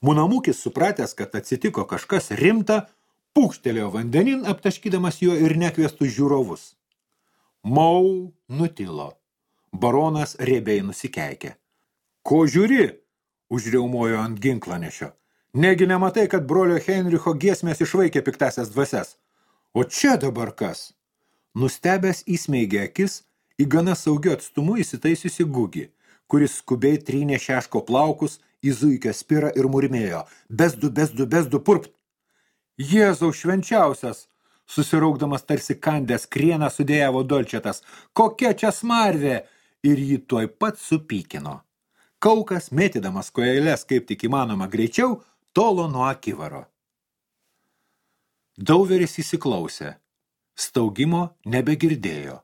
Munamukis, supratęs, kad atsitiko kažkas rimta, pūkštelėjo vandenin, aptaškydamas juo ir nekviestus žiūrovus. Mau nutilo. Baronas riebiai nusikeikė. Ko žiūri? Užriaumojo ant ginklanešio. Negi nematai, kad brolio Heinricho giesmės išvaikė piktasias dvasias. O čia dabar kas? Nustebęs įsmeigė akis, į gana saugiu atstumu įsitaisiusi Gugį, kuris skubiai trynė šeško plaukus į zuikio spirą ir murmėjo. Besdu, purpt! Jėzau švenčiausias! Susiraukdamas tarsi kandęs krieną sudėjavo Dolčetas. Kokia čia smarvė! Ir jį tuoj pat supykino. Kaukas, mėtydamas kojeles kaip tik įmanoma greičiau, tolo nuo akivaro. Dauveris įsiklausė. Staugimo nebegirdėjo.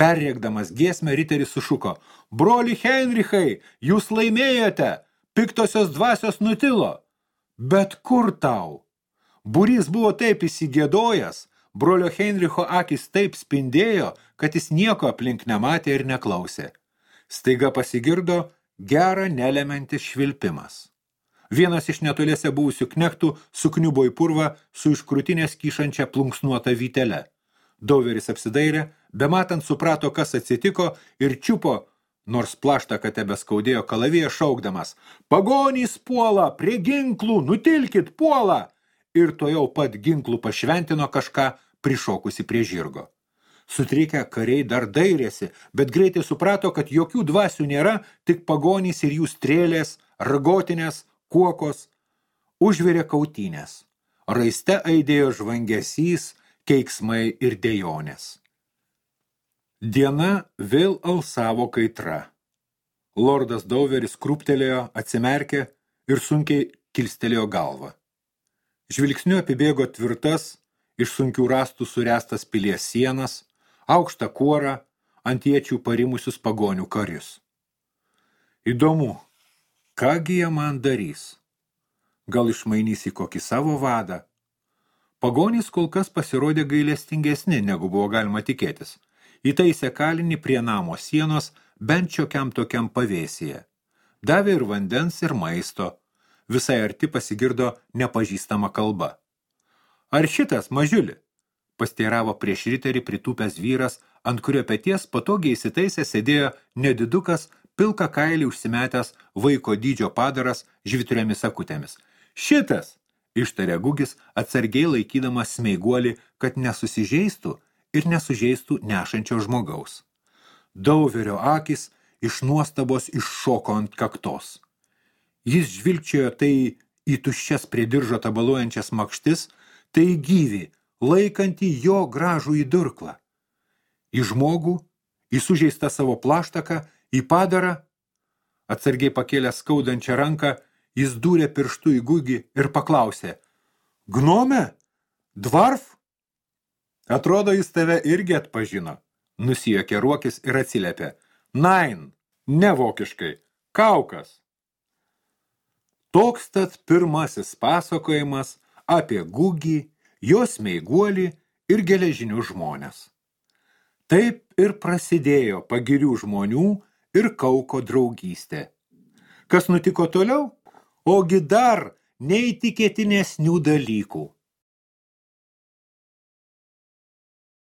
Perrėkdamas giesmę, riteris sušuko. Broli Heinrichai, jūs laimėjote! Piktosios dvasios nutilo! Bet kur tau? Būrys buvo taip įsigėdojęs, brolio Heinricho akis taip spindėjo, kad jis nieko aplink nematė ir neklausė. Staiga pasigirdo gerą nelemiantis švilpimas. Vienas iš netoliese buvusių knektų sukniubo į purvą su iš krūtinės kyšančia plunksnuota vytele. Dauveris apsidairė, bematant suprato, kas atsitiko ir čiupo, nors plaštą tebe skaudėjo kalaviją šaukdamas. Pagonys puola, prie ginklų, nutilkit, puola! Ir to jau pat ginklų pašventino kažką prišokusi prie žirgo. Sutrikę kariai dar dairėsi, bet greitai suprato, kad jokių dvasių nėra, tik pagonys ir jų strėlės, ragotinės, kuokos. Užvirė kautynės. Raiste aidėjo žvangesys, keiksmai ir dejonės. Diena vėl alsavo kaitra. Lordas Dauveris krūptelėjo, atsimerkė ir sunkiai kilstelėjo galvą. Žvilgsniu apibėgo tvirtas, iš sunkių rąstų suręstas pilies sienas, aukštą kuorą, ant iečių parimusius pagonių karius. Įdomu, kągi jie man darys? Gal išmainys į kokį savo vadą? Pagonys kol kas pasirodė gailestingesni, negu buvo galima tikėtis. Įtaisė kalinį prie namo sienos bent šiokiam tokiam pavėsyje. Davė ir vandens, ir maisto. Visai arti pasigirdo nepažįstama kalba. Ar šitas, mažiuli? Pasteiravo prieš riterį pritūpęs vyras, ant kurio peties patogiai įsitaisė sėdėjo nedidukas, pilką kailį užsimetęs vaiko dydžio padaras žvitriomis akutėmis. Šitas, ištarė Gugis, atsargiai laikydamas smeiguolį, kad nesusižeistų ir nesužeistų nešančio žmogaus. Dauverio akis iš nuostabos iššoko ant kaktos. Jis žvilgčiojo tai į tuščias prie diržo tabaluojančias makštis, tai gyvį, laikantį jo gražų į durklą. Į žmogų, į sužeistą savo plaštaką, į padarą. Atsargiai pakėlęs skaudančią ranką, jis dūrė pirštu į Gugį ir paklausė: Gnome? Dvarf? Atrodo, jis tave irgi atpažino. Nusijuokė Ruokis ir atsiliepė: Nein, ne vokiškai, Kaukas. Toks tad pirmasis pasakojimas apie Gugį, jo smeiguolį ir geležinių žmonės. Taip ir prasidėjo pagirių žmonių ir Kauko draugystė. Kas nutiko toliau? Ogi dar neįtikėtinesnių dalykų.